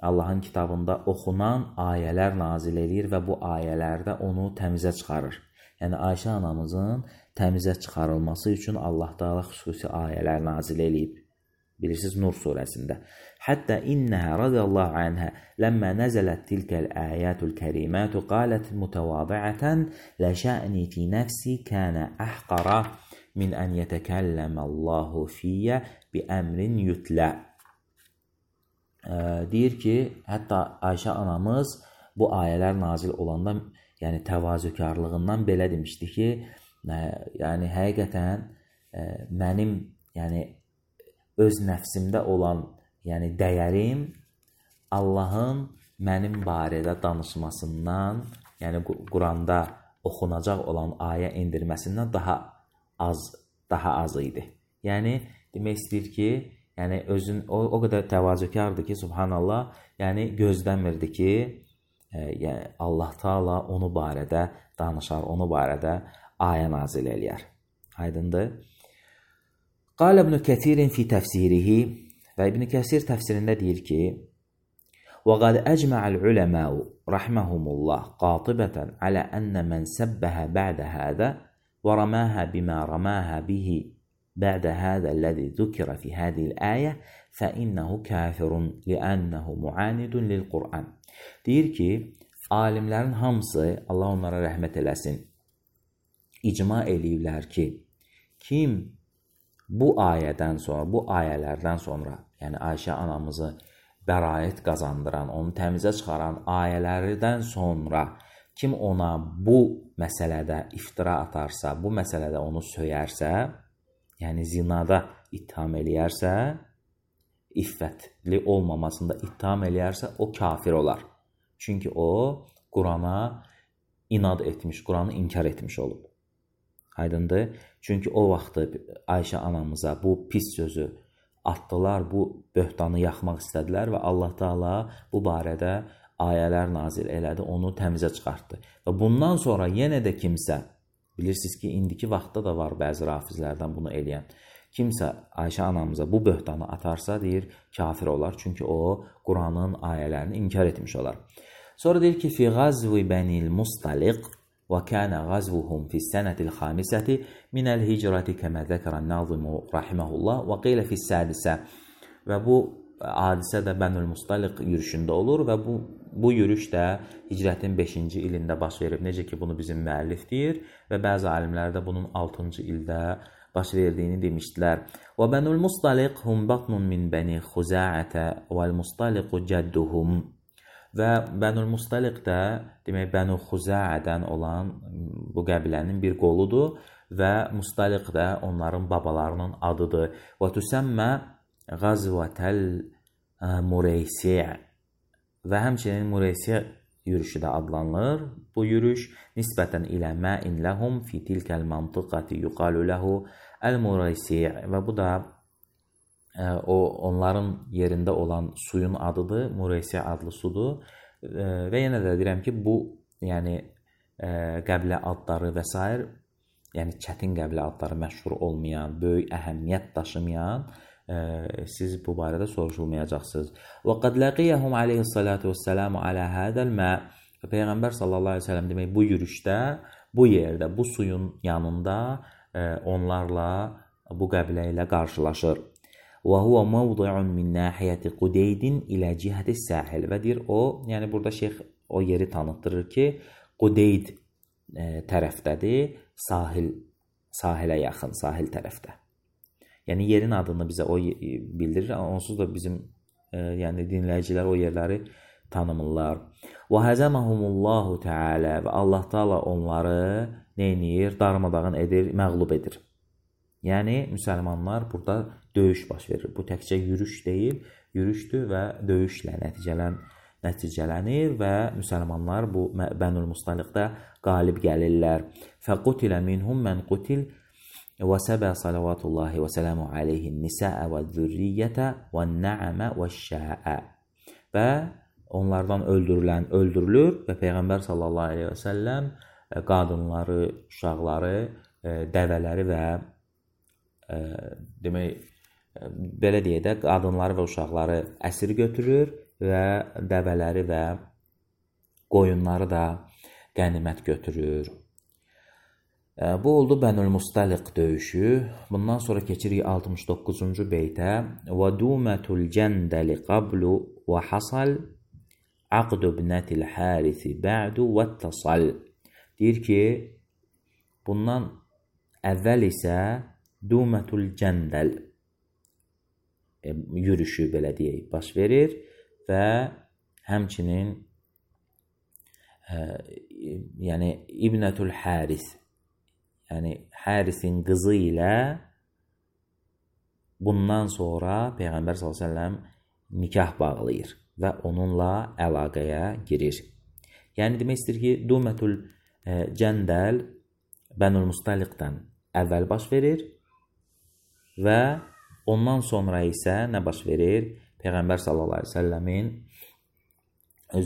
Speaker 1: Allahın kitabında oxunan ayələr nazil edir və bu ayələrdə onu təmizə çıxarır. Yəni Ayşə anamızın təmizə çıxarılması üçün Allah Taala xüsusi ayələr nazil edib. Bilirsiniz Nur surəsində. Hətta innəhə radiyallahu anhə ləmmə nəzələt tilkəl əyətul kərimətü qalət mütəvadiətən ləşə'ni fi nəfsi kənə əhqara min ən yətəkəlləməllahu fiyyə bi əmrin yutlə. Deyir ki, hətta Ayşə anamız bu ayələr nazil olanda, yəni təvazökarlığından belə demişdi ki, yəni həqiqətən mənim, yəni öz nəfsimdə olan, yəni dəyərim Allahın mənim barədə danışmasından, yəni Quranda oxunacaq olan ayə indirməsindən daha az, daha az idi. Yəni demək istəyir ki, yəni özün o, o qədər təvazökardır ki, subhanallah, yəni gözləmirdi ki, e, yəni Allah Taala onu barədə danışar, onu barədə ayə nazil eləyər. Aydındır? Qal İbn Kəsir fi təfsirihi və İbn Kəsir təfsirində deyir ki: "Və qad əcma'al ulema'u rahmehumullah qatibatan ala anna man sabbaha ba'da hada və ramaha bima ramaha bihi ba'da hada allazi zukira fi hadhihi al-aya fa innahu kafirun li'annahu mu'anidun lil-Qur'an." Deyir ki, alimlərin hamısı, Allah onlara rəhmət eləsin, icma eləyirlər ki, kim bu ayədən sonra, bu ayələrdən sonra, yəni Ayşə anamızı bəraət qazandıran, onu təmizə çıxaran ayələrdən sonra kim ona bu məsələdə iftira atarsa, bu məsələdə onu söyərsə, yəni zinada ittiham eləyərsə, iffətli olmamasında ittiham eləyərsə, o kafir olar. Çünki o, Qurana inad etmiş, Quranı inkar etmiş olub. Aydındır? Çünki o vaxtı Ayşə anamıza bu pis sözü atdılar, bu böhtanı yaxmaq istədilər və Allah Taala bu barədə ayələr nazil elədi, onu təmizə çıxartdı. Və bundan sonra yenə də kimsə, bilirsiniz ki, indiki vaxtda da var bəzi rafizlərdən bunu eləyən, kimsə Ayşə anamıza bu böhtanı atarsa, deyir, kafir olar. Çünki o, Quranın ayələrini inkar etmiş olar. Sonra deyir ki, fi ğazvi bənil mustaliq وكان غزوهم في السنة الخامسة من الهجرة كما ذكر الناظم رحمه الله وقيل في السادسة. Və bu hadisə də Bənül Mustaliq yürüşündə olur və bu, bu yürüş də hicrətin beşinci ilində baş verib. Necə ki, bunu bizim müəllif deyir və bəzi alimlər də bunun altıncı ildə baş verdiyini demişdilər. Və Bənül Mustaliq hum batnun min bəni Xuza'ətə vəl Mustaliqu cədduhum. Və Bənül Mustaliq də, demək, Bənu Xuzəədən olan bu qəbilənin bir qoludur və Mustaliq də onların babalarının adıdır. Və tüsəmmə Qazvətəl Mureysi' və həmçinin Mureysi' yürüşü də adlanılır. Bu yürüş nisbətən ilə mə'in ləhum fi tilkəl mantıqati yuqalu ləhu əl-Mureysi' və bu da o onların yerində olan suyun adıdır, Mureysi adlı sudur. Və yenə də deyirəm ki, bu yəni qəbilə adları və s. yəni çətin qəbilə adları məşhur olmayan, böyük əhəmiyyət daşımayan, siz bu barədə soruşulmayacaqsınız. Və qad laqiyahum alayhissalatu vesselam ala hadal ma. Peyğəmbər sallallahu əleyhi və səlləm demək bu yürüşdə, bu yerdə, bu suyun yanında onlarla, bu qəbilə ilə qarşılaşır. Və huwa mawdi'un min nahiyati Qudeydin ilə cihəti sahil. Və deyir o, yəni burada şeyx o yeri tanıtdırır ki, Qudeyd e, tərəfdədir, sahil, sahilə yaxın, sahil tərəfdə. Yəni yerin adını bizə o bildirir, onsuz da bizim e, yəni dinləyicilər o yerləri tanımırlar. Və həzəməhumullahu Teala və Allah Taala onları neynir? Darmadağın edir, məğlub edir. Yəni, müsəlmanlar burada döyüş baş verir. Bu təkcə yürüş deyil, yürüşdür və döyüşlə nəticələn, nəticələnir və müsəlmanlar bu Bənül Mustaliqdə qalib gəlirlər. Fəqutilə minhum mən qutil və səbə salavatullahi və sələmu aleyhin nisəə və zürriyyətə və nəəmə və şəə. Və onlardan öldürülən öldürülür və Peyğəmbər sallallahu aleyhi və səlləm qadınları, uşaqları, dəvələri və e, demək, belə deyək də, qadınları və uşaqları əsir götürür və dəvələri və qoyunları da qənimət götürür. Bu oldu Bənül Mustaliq döyüşü. Bundan sonra keçirik altmış doqquzuncu beytə. Və dumətul cəndəli qablu və hasal aqdu ibnətil hərisi bə'du və tasal. Deyir ki, bundan əvvəl isə dumətul cəndəl yürüşü belə deyək baş verir və həmçinin ə, yəni İbnətul Həris, yəni Hərisin qızı ilə bundan sonra Peyğəmbər sallallahu əleyhi və səlləm nikah bağlayır və onunla əlaqəyə girir. Yəni demək istəyir ki, Dumətul Cəndəl Bənül Mustaliqdən əvvəl baş verir və ondan sonra isə nə baş verir? Peyğəmbər sallallahu əleyhi və səlləmin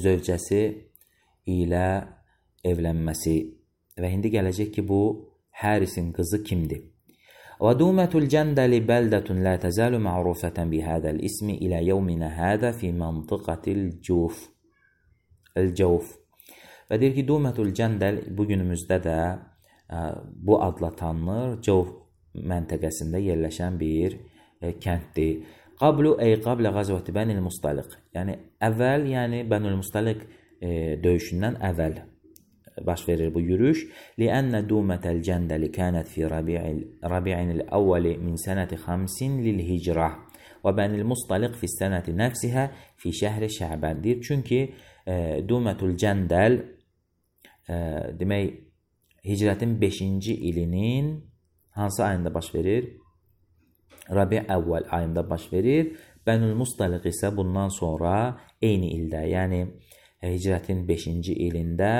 Speaker 1: zövcəsi ilə evlənməsi və indi gələcək ki, bu Hərisin qızı kimdir? Və dumətul cəndəli bəldətun la təzəlu ma'rufətən bihədəl ismi ilə yevminə hədə fi məntıqatil cuf. El-cəuf. Və deyir ki, dumətul cəndəl bugünümüzdə də ə, bu adla tanınır. Cəuf məntəqəsində yerləşən bir ə, kənddir. Qablu ey qablə qazvəti Bənil Mustaliq. Yəni əvvəl, yəni Bənil Mustaliq e, döyüşündən əvvəl baş verir bu yürüş. Li'anna dumətəl cəndəli kənət fi rabi'inil əvvəli min sənəti xamsin lil hicrah və Bənil Mustaliq fi sənəti nəfsihə fi şəhri Şəbəndir. Çünki e, dumətul cəndəl e, demək hicrətin beşinci ilinin hansı ayında baş verir? Rabi' əvvəl ayında baş verir. Bənül Mustaliq isə bundan sonra eyni ildə, yəni hicrətin beşinci ilində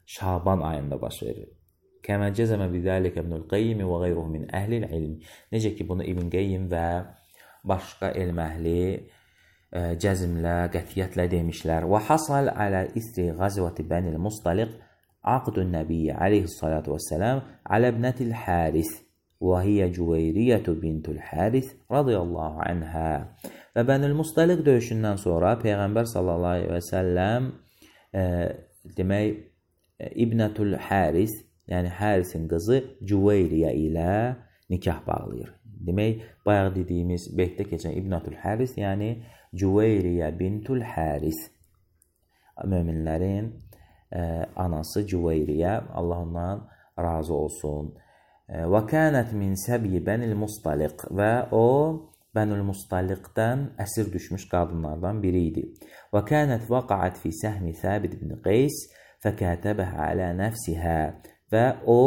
Speaker 1: Şaban ayında baş verir. Kəmə cəzəmə bidəlikə İbnül Qeyyim və qeyruhu min əhlil ilm. Necə ki, bunu İbn Qeyyim və başqa elm əhli e, cəzmlə, qətiyyətlə demişlər. Və hasal alə isri qazvəti Bənil Mustaliq aqdun nəbiyyə aleyhissalatu vəssələm alə ibnətil Həris və hiyə Cüveyriyyətü bintul Həris radiyallahu anhə. Və Bənil Mustaliq döyüşündən sonra Peyğəmbər sallallahu aleyhi və səlləm e, demək İbnətul Həris, yəni Hərisin qızı Cüveyriyə ilə nikah bağlayır. Demək, bayaq dediyimiz beytdə keçən İbnətul Həris, yəni Cüveyriyə bintul Həris. Möminlərin ə, anası Cüveyriyə, Allah ondan razı olsun. Və kənət min səbyi Bənil Mustaliq və o Bənül Mustaliqdən əsir düşmüş qadınlardan biri idi. Və kənət vaqaət fi səhmi Səbit ibn Qeys fəkətəbəhə alə nəfsihə və o,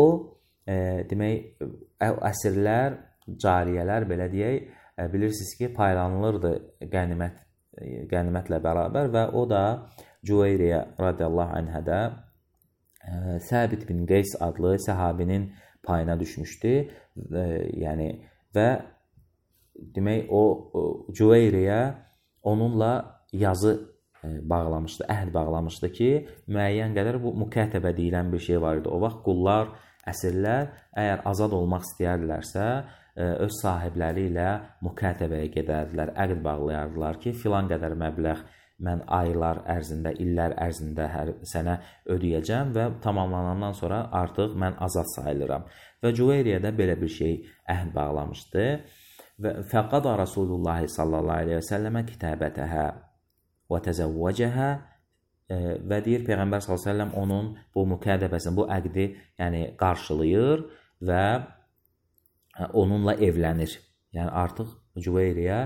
Speaker 1: e, demək, əsirlər, cariyələr, belə deyək, e, bilirsiniz ki, paylanılırdı qənimət, qənimətlə bərabər və o da Cüveyriyə radiyallahu anhədə e, Səbit bin Qeys adlı səhabinin payına düşmüşdü. E, yəni, və demək, o, o Cüveyriyə onunla yazı bağlamışdı, əhd bağlamışdı ki, müəyyən qədər bu mükətəbə deyilən bir şey var idi. O vaxt qullar, əsirlər əgər azad olmaq istəyərdilərsə, öz sahibləri ilə mükətəbəyə gedərdilər, əqd bağlayardılar ki, filan qədər məbləğ mən aylar ərzində, illər ərzində hər sənə ödəyəcəm və tamamlanandan sonra artıq mən azad sayılıram. Və Cüveyriyə də belə bir şey əhd bağlamışdı. Və fəqada Rasulullah sallallahu aleyhi və səlləmə kitabətəhə və təzəvvəcəhə və deyir Peyğəmbər sallallahu əleyhi və səlləm onun bu mükədəbəsini, bu əqdi yəni qarşılayır və onunla evlənir. Yəni artıq Cüveyriyə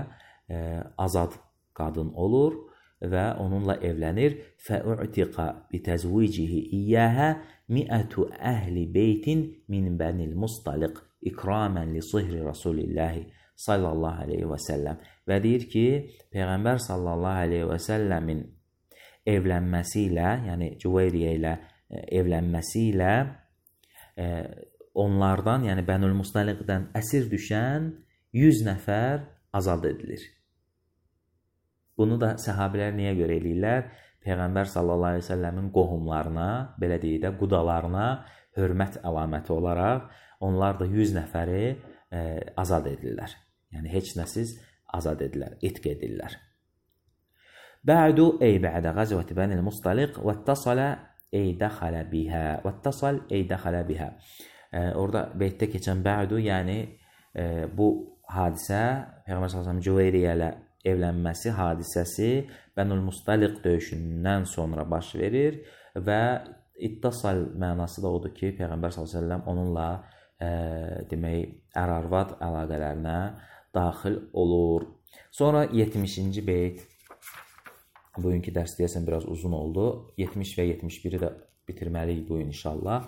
Speaker 1: e, azad qadın olur və onunla evlənir. Fəu'tiqa bitəzvicihi iyyəhə mi'ətu əhli beytin min bənil Mustaliq ikramən li sihri Rasulillahi sallallahu aleyhi və səlləm. Və deyir ki, Peyğəmbər sallallahu aleyhi və səlləmin evlənməsi ilə, yəni Cüveyriyə ilə evlənməsi ilə e, onlardan, yəni Bənül Mustaliqdən əsir düşən yüz nəfər azad edilir. Bunu da səhabilər niyə görə eləyirlər? Peyğəmbər sallallahu aleyhi və səlləmin qohumlarına, belə deyək də, qudalarına hörmət əlaməti olaraq onlar da yüz nəfəri e, azad edirlər. Yəni heç nəsiz azad edirlər, etq edirlər. Bə'du ey bə'də qazvəti Bənil Mustaliq və ittasala ey dəxalə bihə və ittasal ey dəxalə bihə. E, orada beytdə keçən bə'du, yəni e, bu hadisə Peyğəmbər sallallahu əleyhi və səlləm Cüveyriyə ilə evlənməsi hadisəsi Bənul Mustaliq döyüşündən sonra baş verir və ittasal mənası da odur ki, Peyğəmbər sallallahu əleyhi və səlləm onunla e, demək ər-arvad əlaqələrinə daxil olur. Sonra yetmişinci beyt. Bugünkü dərs deyəsən biraz uzun oldu. yetmiş və yetmiş biri də bitirməliyik bu gün inşallah.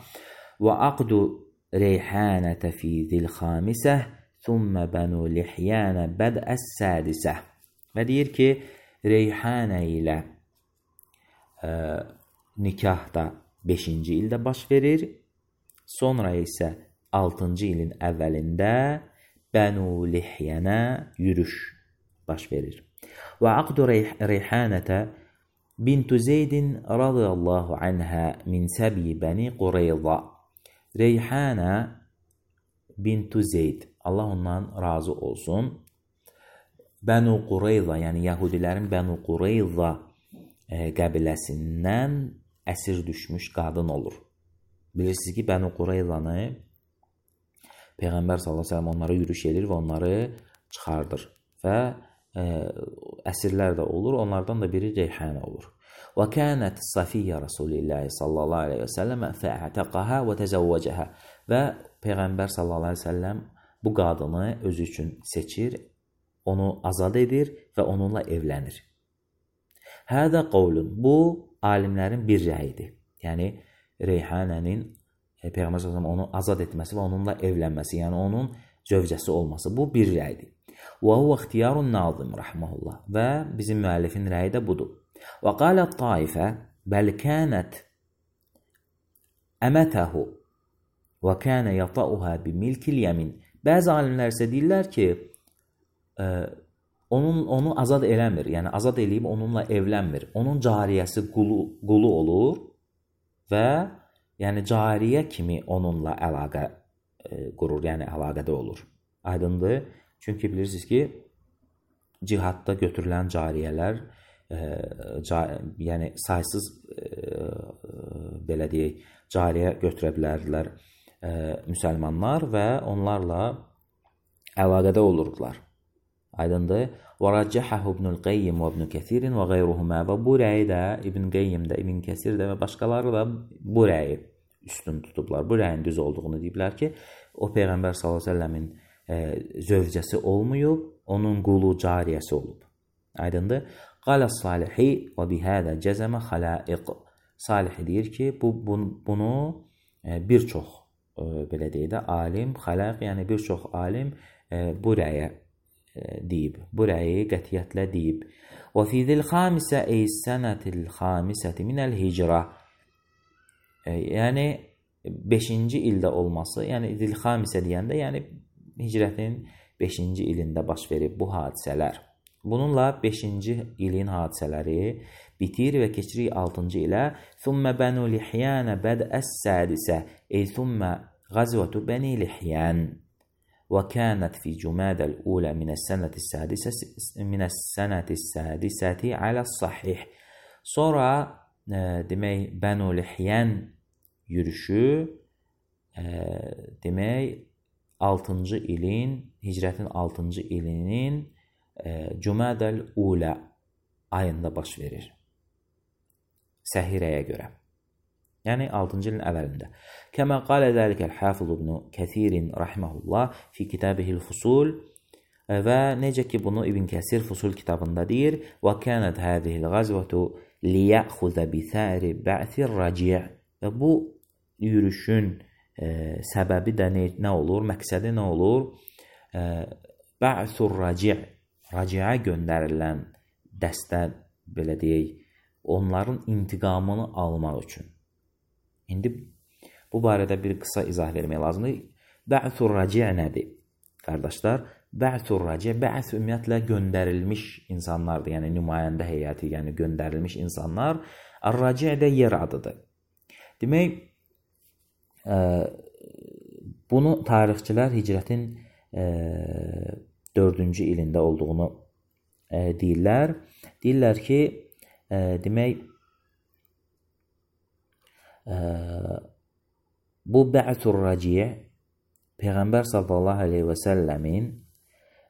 Speaker 1: Və aqdu reyhanətə fi zil-xamisə thumma banu lihyanə bədəs-sədisə. Və deyir ki, reyhanə ilə e, nikah da beşinci ildə baş verir. Sonra isə altıncı ilin əvvəlində Bənu Lihyənə yürüş baş verir. Və aqdu reyhanətə bintu Zeydin radiyallahu anhə min səbi bəni Qureyza. Reyhanə bintu Zeyd, Allah ondan razı olsun, Bənu Qureyza, yəni Yahudilərin Bənu Qureyza e, qəbiləsindən əsir düşmüş qadın olur. Bilirsiniz ki, Bənu Qureyzanı Peyğəmbər sallallahu əleyhi və səlləm onlara yürüş edir və onları çıxardır və e, əsirlər də olur. Onlardan da biri Reyhanə olur. Və kânət Safiyyə Rasulillah sallallahu əleyhi və səlləm fə'təqəhə və təzəvvəcəhə. Və Peyğəmbər sallallahu əleyhi və səlləm bu qadını özü üçün seçir, onu azad edir və onunla evlənir. Hədə qavlun. Bu alimlərin bir rəyidir. Yəni Reyhanənin Peyğəmbər sallallahu əleyhi və səlləm onu azad etməsi və onunla evlənməsi, yəni onun zövcəsi olması, bu bir rəydir. Və huwa ixtiyarun nazim rahmehullah. Və bizim müəllifin rəyi də budur. Və qalat taifə bəl kanat əmətəhu və kana yata'uha bi milkil yamin. Bəzi alimlər isə deyirlər ki, ə, onun onu azad eləmir, yəni azad eləyib onunla evlənmir. Onun cariyəsi qulu, qulu olur və yəni cariyə kimi onunla əlaqə e, qurur, yəni əlaqədə olur. Aydındır? Çünki bilirsiniz ki, cihadda götürülən cariyələr, e, ca yəni saysız e, belə deyək, cariyə götürə bilərdilər e, müsəlmanlar və onlarla əlaqədə olurdular. Aydındır? Və rəccəhəhu İbnül Qeyyim və İbn Kəsirin və qeyruhumə. Və bu rəyi də İbn Qeyyim də, İbn Kəsir də və başqaları da bu rəyi üstün tutublar. Bu rəyin düz olduğunu deyiblər ki, o Peyğəmbər sallallahu əleyhi və səlləmin e, zövcəsi olmayıb, onun qulu cariyəsi olub. Aydındır? Qalə Salihi və bihədə cəzəmə xalaiq. Salih deyir ki, bu bunu e, bir çox e, belə deyək də alim, xalaiq, yəni bir çox alim e, bu rəyə deyib. Bu rəyi qətiyyətlə deyib. Və fi zil xamisə ey sənətil xamisəti minəl hicra. Yəni beşinci ildə olması, yəni zil xamisə deyəndə, yəni hicrətin beşinci ilində baş verib bu hadisələr. Bununla beşinci ilin hadisələri bitir və keçirik altıncı ilə. Thumma banu lihyan bad'as sadisə ey thumma ghazwatu bani lihyan. وكانت في جمادى الأولى من السنة السادسة من السنة السادسة على الصحيح. Sonra e, demək Bənu Lihyan yürüşü e, demək altıncı ilin, hicrətin altıncı ilinin e, Cümadəl Ula ayında baş verir. Səhirəyə görə. Yəni altıncı ilin əvvəlində. Kəmə qalə zəlikəl Hafiz İbn Kəsir rahimehullah fi kitabihil Fusul. Və necə ki bunu İbn Kəsir Fusul kitabında deyir, və kənət hədihil qazvətu liyəxuzə bisəri bə'sir raci'. Və bu yürüşün e, səbəbi də nə, nə olur? Məqsədi nə olur? E, bə'sur raci', raci'ə göndərilən dəstə, belə deyək, onların intiqamını almaq üçün. İndi bu barədə bir qısa izah vermək lazımdır. Bə'sur raci' nədir? Qardaşlar, bə'sur raci', bə'th ümumiyyətlə göndərilmiş insanlardır. Yəni nümayəndə heyəti, yəni göndərilmiş insanlar. Ar-raci' də yer adıdır. Demək, e, bunu tarixçilər hicrətin e, dördüncü ilində olduğunu e, deyirlər. Deyirlər ki, e, demək, bu bə'tur raci' Peyğəmbər sallallahu aleyhi və səlləmin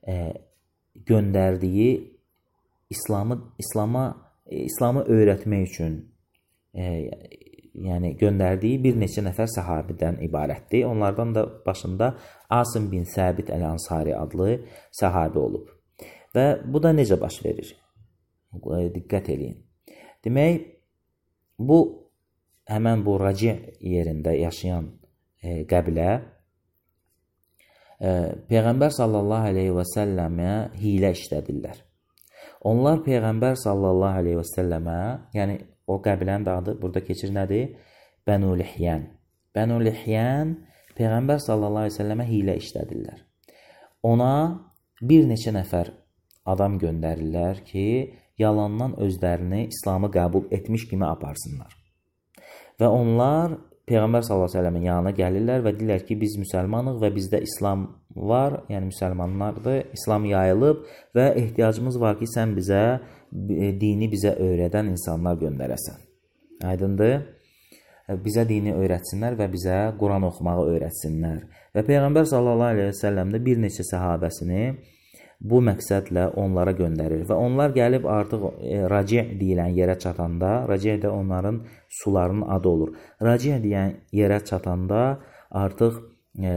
Speaker 1: e, göndərdiyi İslamı İslam'a e, İslamı öyrətmək üçün e, yəni göndərdiyi bir neçə nəfər səhabidən ibarətdir. Onlardan da başında Asim bin Səbit Əl-Ansari adlı səhabi olub. Və bu da necə baş verir? Diqqət eləyin. Demək, bu həmən bu raci' yerində yaşayan e, qəbilə e, Peyğəmbər sallallahu aleyhi və səlləmə hilə işlədirlər. Onlar Peyğəmbər sallallahu aleyhi və səlləmə, yəni o qəbilənin adı burada keçir nədir? Bənu Lihyən. Bənu Lihyən Peyğəmbər sallallahu aleyhi və səlləmə hilə işlədirlər. Ona bir neçə nəfər adam göndərirlər ki, yalandan özlərini İslamı qəbul etmiş kimi aparsınlar. Və onlar Peyğəmbər sallallahu əleyhi və səlləmin yanına gəlirlər və deyirlər ki, biz müsəlmanıq və bizdə İslam var, yəni müsəlmanlardır, İslam yayılıb və ehtiyacımız var ki, sən bizə dini bizə öyrədən insanlar göndərəsən. Aydındır? Bizə dini öyrətsinlər və bizə Quran oxumağı öyrətsinlər. Və Peyğəmbər sallallahu əleyhi və səlləm də bir neçə səhabəsini bu məqsədlə onlara göndərir və onlar gəlib artıq e, raci' deyilən yerə çatanda, raci' də onların sularının adı olur. Raci' deyilən yerə çatanda artıq e,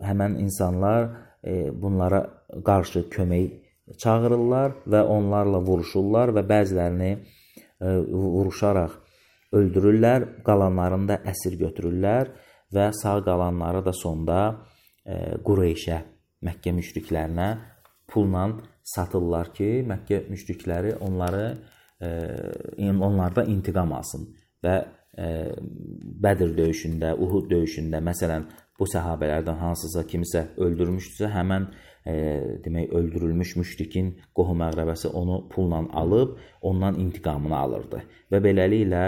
Speaker 1: həmən insanlar e, bunlara qarşı kömək çağırırlar və onlarla vuruşurlar və bəzilərini e, vuruşaraq öldürürlər, qalanlarını da əsir götürürlər və sağ qalanları da sonda e, Qureyşə, Məkkə müşriklərinə pulla satırlar ki, Məkkə müşrikləri onları e, onlarda intiqam alsın və e, Bədir döyüşündə, Uhud döyüşündə məsələn bu səhabələrdən hansısa kimisə öldürmüşdüsə, həmən e, demək öldürülmüş müşrikin qohum-əqrəbəsi onu pulla alıb ondan intiqamını alırdı. Və beləliklə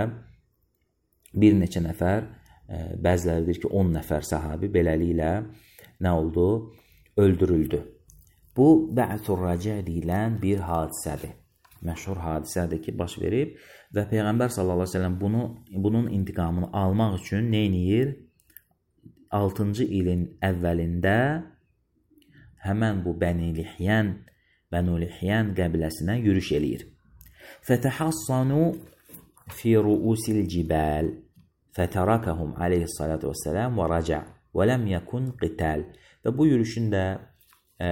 Speaker 1: bir neçə nəfər, e, bəziləri deyir ki, on nəfər səhabi beləliklə nə oldu? Öldürüldü. Bu bə'tur raci' deyilən bir hadisədir. Məşhur hadisədir ki, baş verib və Peyğəmbər sallallahu əleyhi və səlləm bunu bunun intiqamını almaq üçün nə edir? altıncı ilin əvvəlində həmən bu Bəni Lihyən, Bənu Lihyən qəbiləsinə yürüş eləyir. Fətəhassanu fi ru'usil cibal fətərakəhum aleyhissalatu vesselam və raca' və ləm yəkun qital. Və bu yürüşün də e,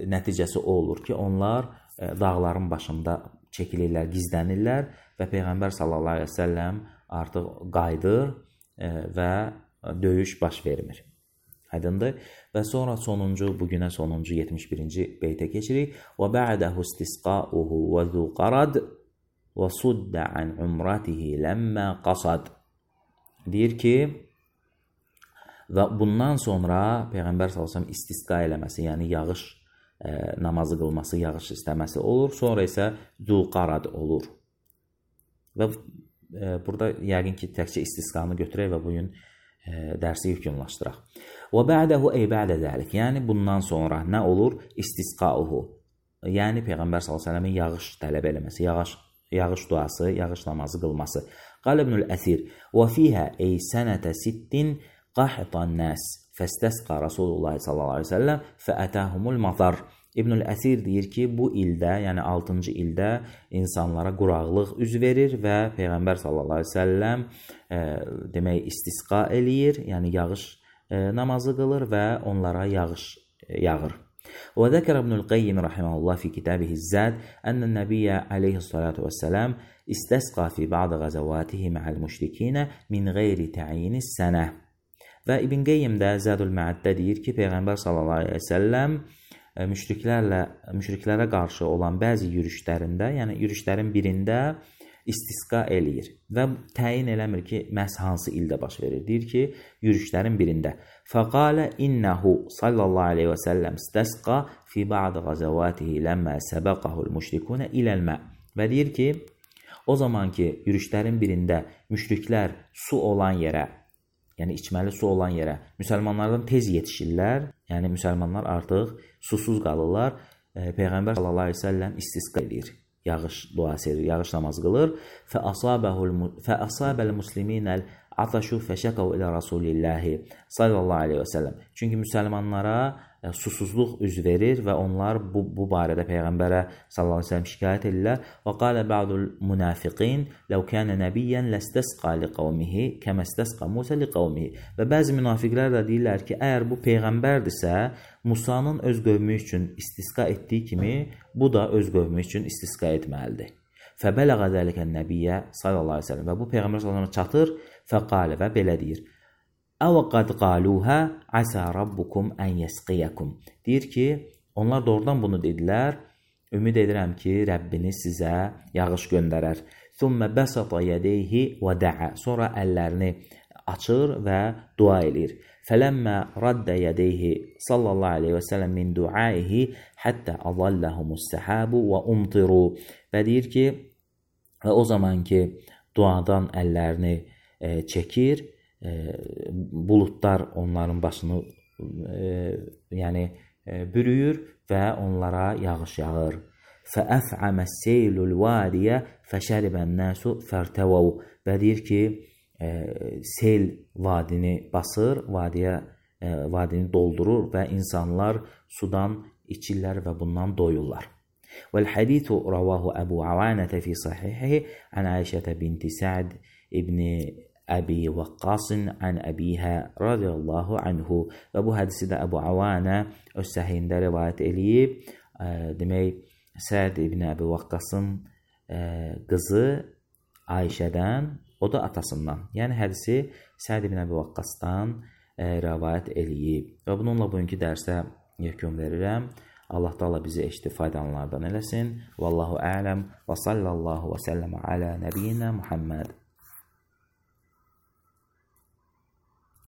Speaker 1: nəticəsi o olur ki, onlar e, dağların başında çəkilirlər, gizlənirlər və Peyğəmbər sallallahu aleyhi və səlləm artıq qayıdır e, və döyüş baş vermir. Aydındır? Və sonra sonuncu, bugünə sonuncu yetmiş birinci beytə keçirik. Və ba'dahu istisqa'uhu və zuqarad və sudda an umratihi ləmmə qasad. Deyir ki, və bundan sonra Peyğəmbər sallallahu əleyhi və səlləm istisqa eləməsi, yəni yağış e, namazı qılması, yağış istəməsi olur. Sonra isə zuqarad olur. Və e, burada yəqin ki, təkcə istisqanı götürək və bugün e, dərsi yekunlaşdıraq. Və ba'dahu ey ba'da zəlik. Yəni bundan sonra nə olur? İstisqauhu. Yəni Peyğəmbər sallallahu əleyhi və səlləmin yağış tələb eləməsi, yağış yağış duası, yağış namazı qılması. Qal İbnül Əsir: "Və fiha ey sənətə sittin qahtan nas fəstəsqa Rasulullah sallallahu əleyhi və səlləm fəətahumul matar." İbnül Əsir deyir ki, bu ildə, yəni altıncı ildə insanlara quraqlıq üz verir və Peyğəmbər sallallahu əleyhi və səlləm e, demək istisqa eləyir, yəni yağış e, namazı qılır və onlara yağış e, yağır. وذكر ابن القيم رحمه الله في كتابه الزاد أن النبي عليه الصلاة والسلام استسقى في بعض غزواته مع المشركين من غير تعيين السنة. Və İbn Qeyyim də Zədül Məəddə deyir ki, Peyğəmbər sallallahu əleyhi və səlləm müşriklərlə müşriklərə qarşı olan bəzi yürüşlərində, yəni yürüşlərin birində istisqa eləyir və təyin eləmir ki, məhz hansı ildə baş verir. Deyir ki, yürüşlərin birində. Fəqalə innehu sallallahu aleyhi və səlləm istəsqa fi ba'd qazavatihi ləmmə səbəqahul müşrikunə iləl-mə. Və deyir ki, o zaman ki, yürüşlərin birində müşriklər su olan yerə, yəni içməli su olan yerə müsəlmanlardan tez yetişirlər, yəni müsəlmanlar artıq susuz qalırlar, Peyğəmbər sallallahu aleyhi və səlləm istisqa edir. Yağış duası edir, yağış namazı qılır. Fə asabəl musliminəl Fəataşu fəşəkəv ilə Rasulillahi sallallahu aleyhi və səlləm. Çünki müsəlmanlara susuzluq üz verir və onlar bu, bu barədə Peyğəmbərə sallallahu aleyhi və səlləm şikayət edirlər. Və qalə ba'dul münafiqin ləv kənə nəbiyyən ləstəsqa li qavmihi kəməstəsqa Musə li qavmihi. Və bəzi münafiqlər də deyirlər ki, əgər bu Peyğəmbərdirsə, Musanın öz qövmü üçün istisqa etdiyi kimi, bu da öz qövmü üçün istisqa etməlidir. Fəbələğə zəlikən nəbiyyə sallallahu aleyhi və səlləm. Və bu Peyğəmbər sallallahu aleyhi və səlləm çatır, fəqalə və belə deyir. Əvə qad qaluhə əsə rabbukum ən yəsqiyyəkum. Deyir ki, onlar doğrudan bunu dedilər. Ümid edirəm ki, Rəbbiniz sizə yağış göndərər. Thumma basata yadayhi və da'a. Sonra əllərini açır və dua edir. Fələmmə raddə yadayhi sallallahu aleyhi və səlləm min duaihi həttə azallahumus səhabu və umtiru. Və deyir ki, və o zaman ki, duadan əllərini e, çəkir, e, buludlar onların başını e, yəni e, bürüyür və onlara yağış yağır. Fəəf'əməs seylul vadiyə fəşəribən nəsu fərtəvəv. Və deyir ki, e, sel vadini basır, vadiyə, e, vadini doldurur və insanlar sudan içirlər və bundan doyurlar. والحديث رواه أبو عوانة في صحيحه عن عائشة بنت سعد ابن أبي وقاص عن أبيها رضي الله عنه. Və bu hədisi də Əbu Avanə öz səhihində rivayət eləyib. Demək, Səd ibn Əbi Vaqqasın qızı Ayşədən, o da atasından. Yəni hədisi Səd ibn Əbi Vaqqasdan rivayət eləyib. Və bununla bugünkü dərsə yekun verirəm. Allah Taala bizi eşitdi faydalananlardan eləsin. Vallahu a'lam və sallallahu və səlləmə alə nəbiyyinə Muhammed.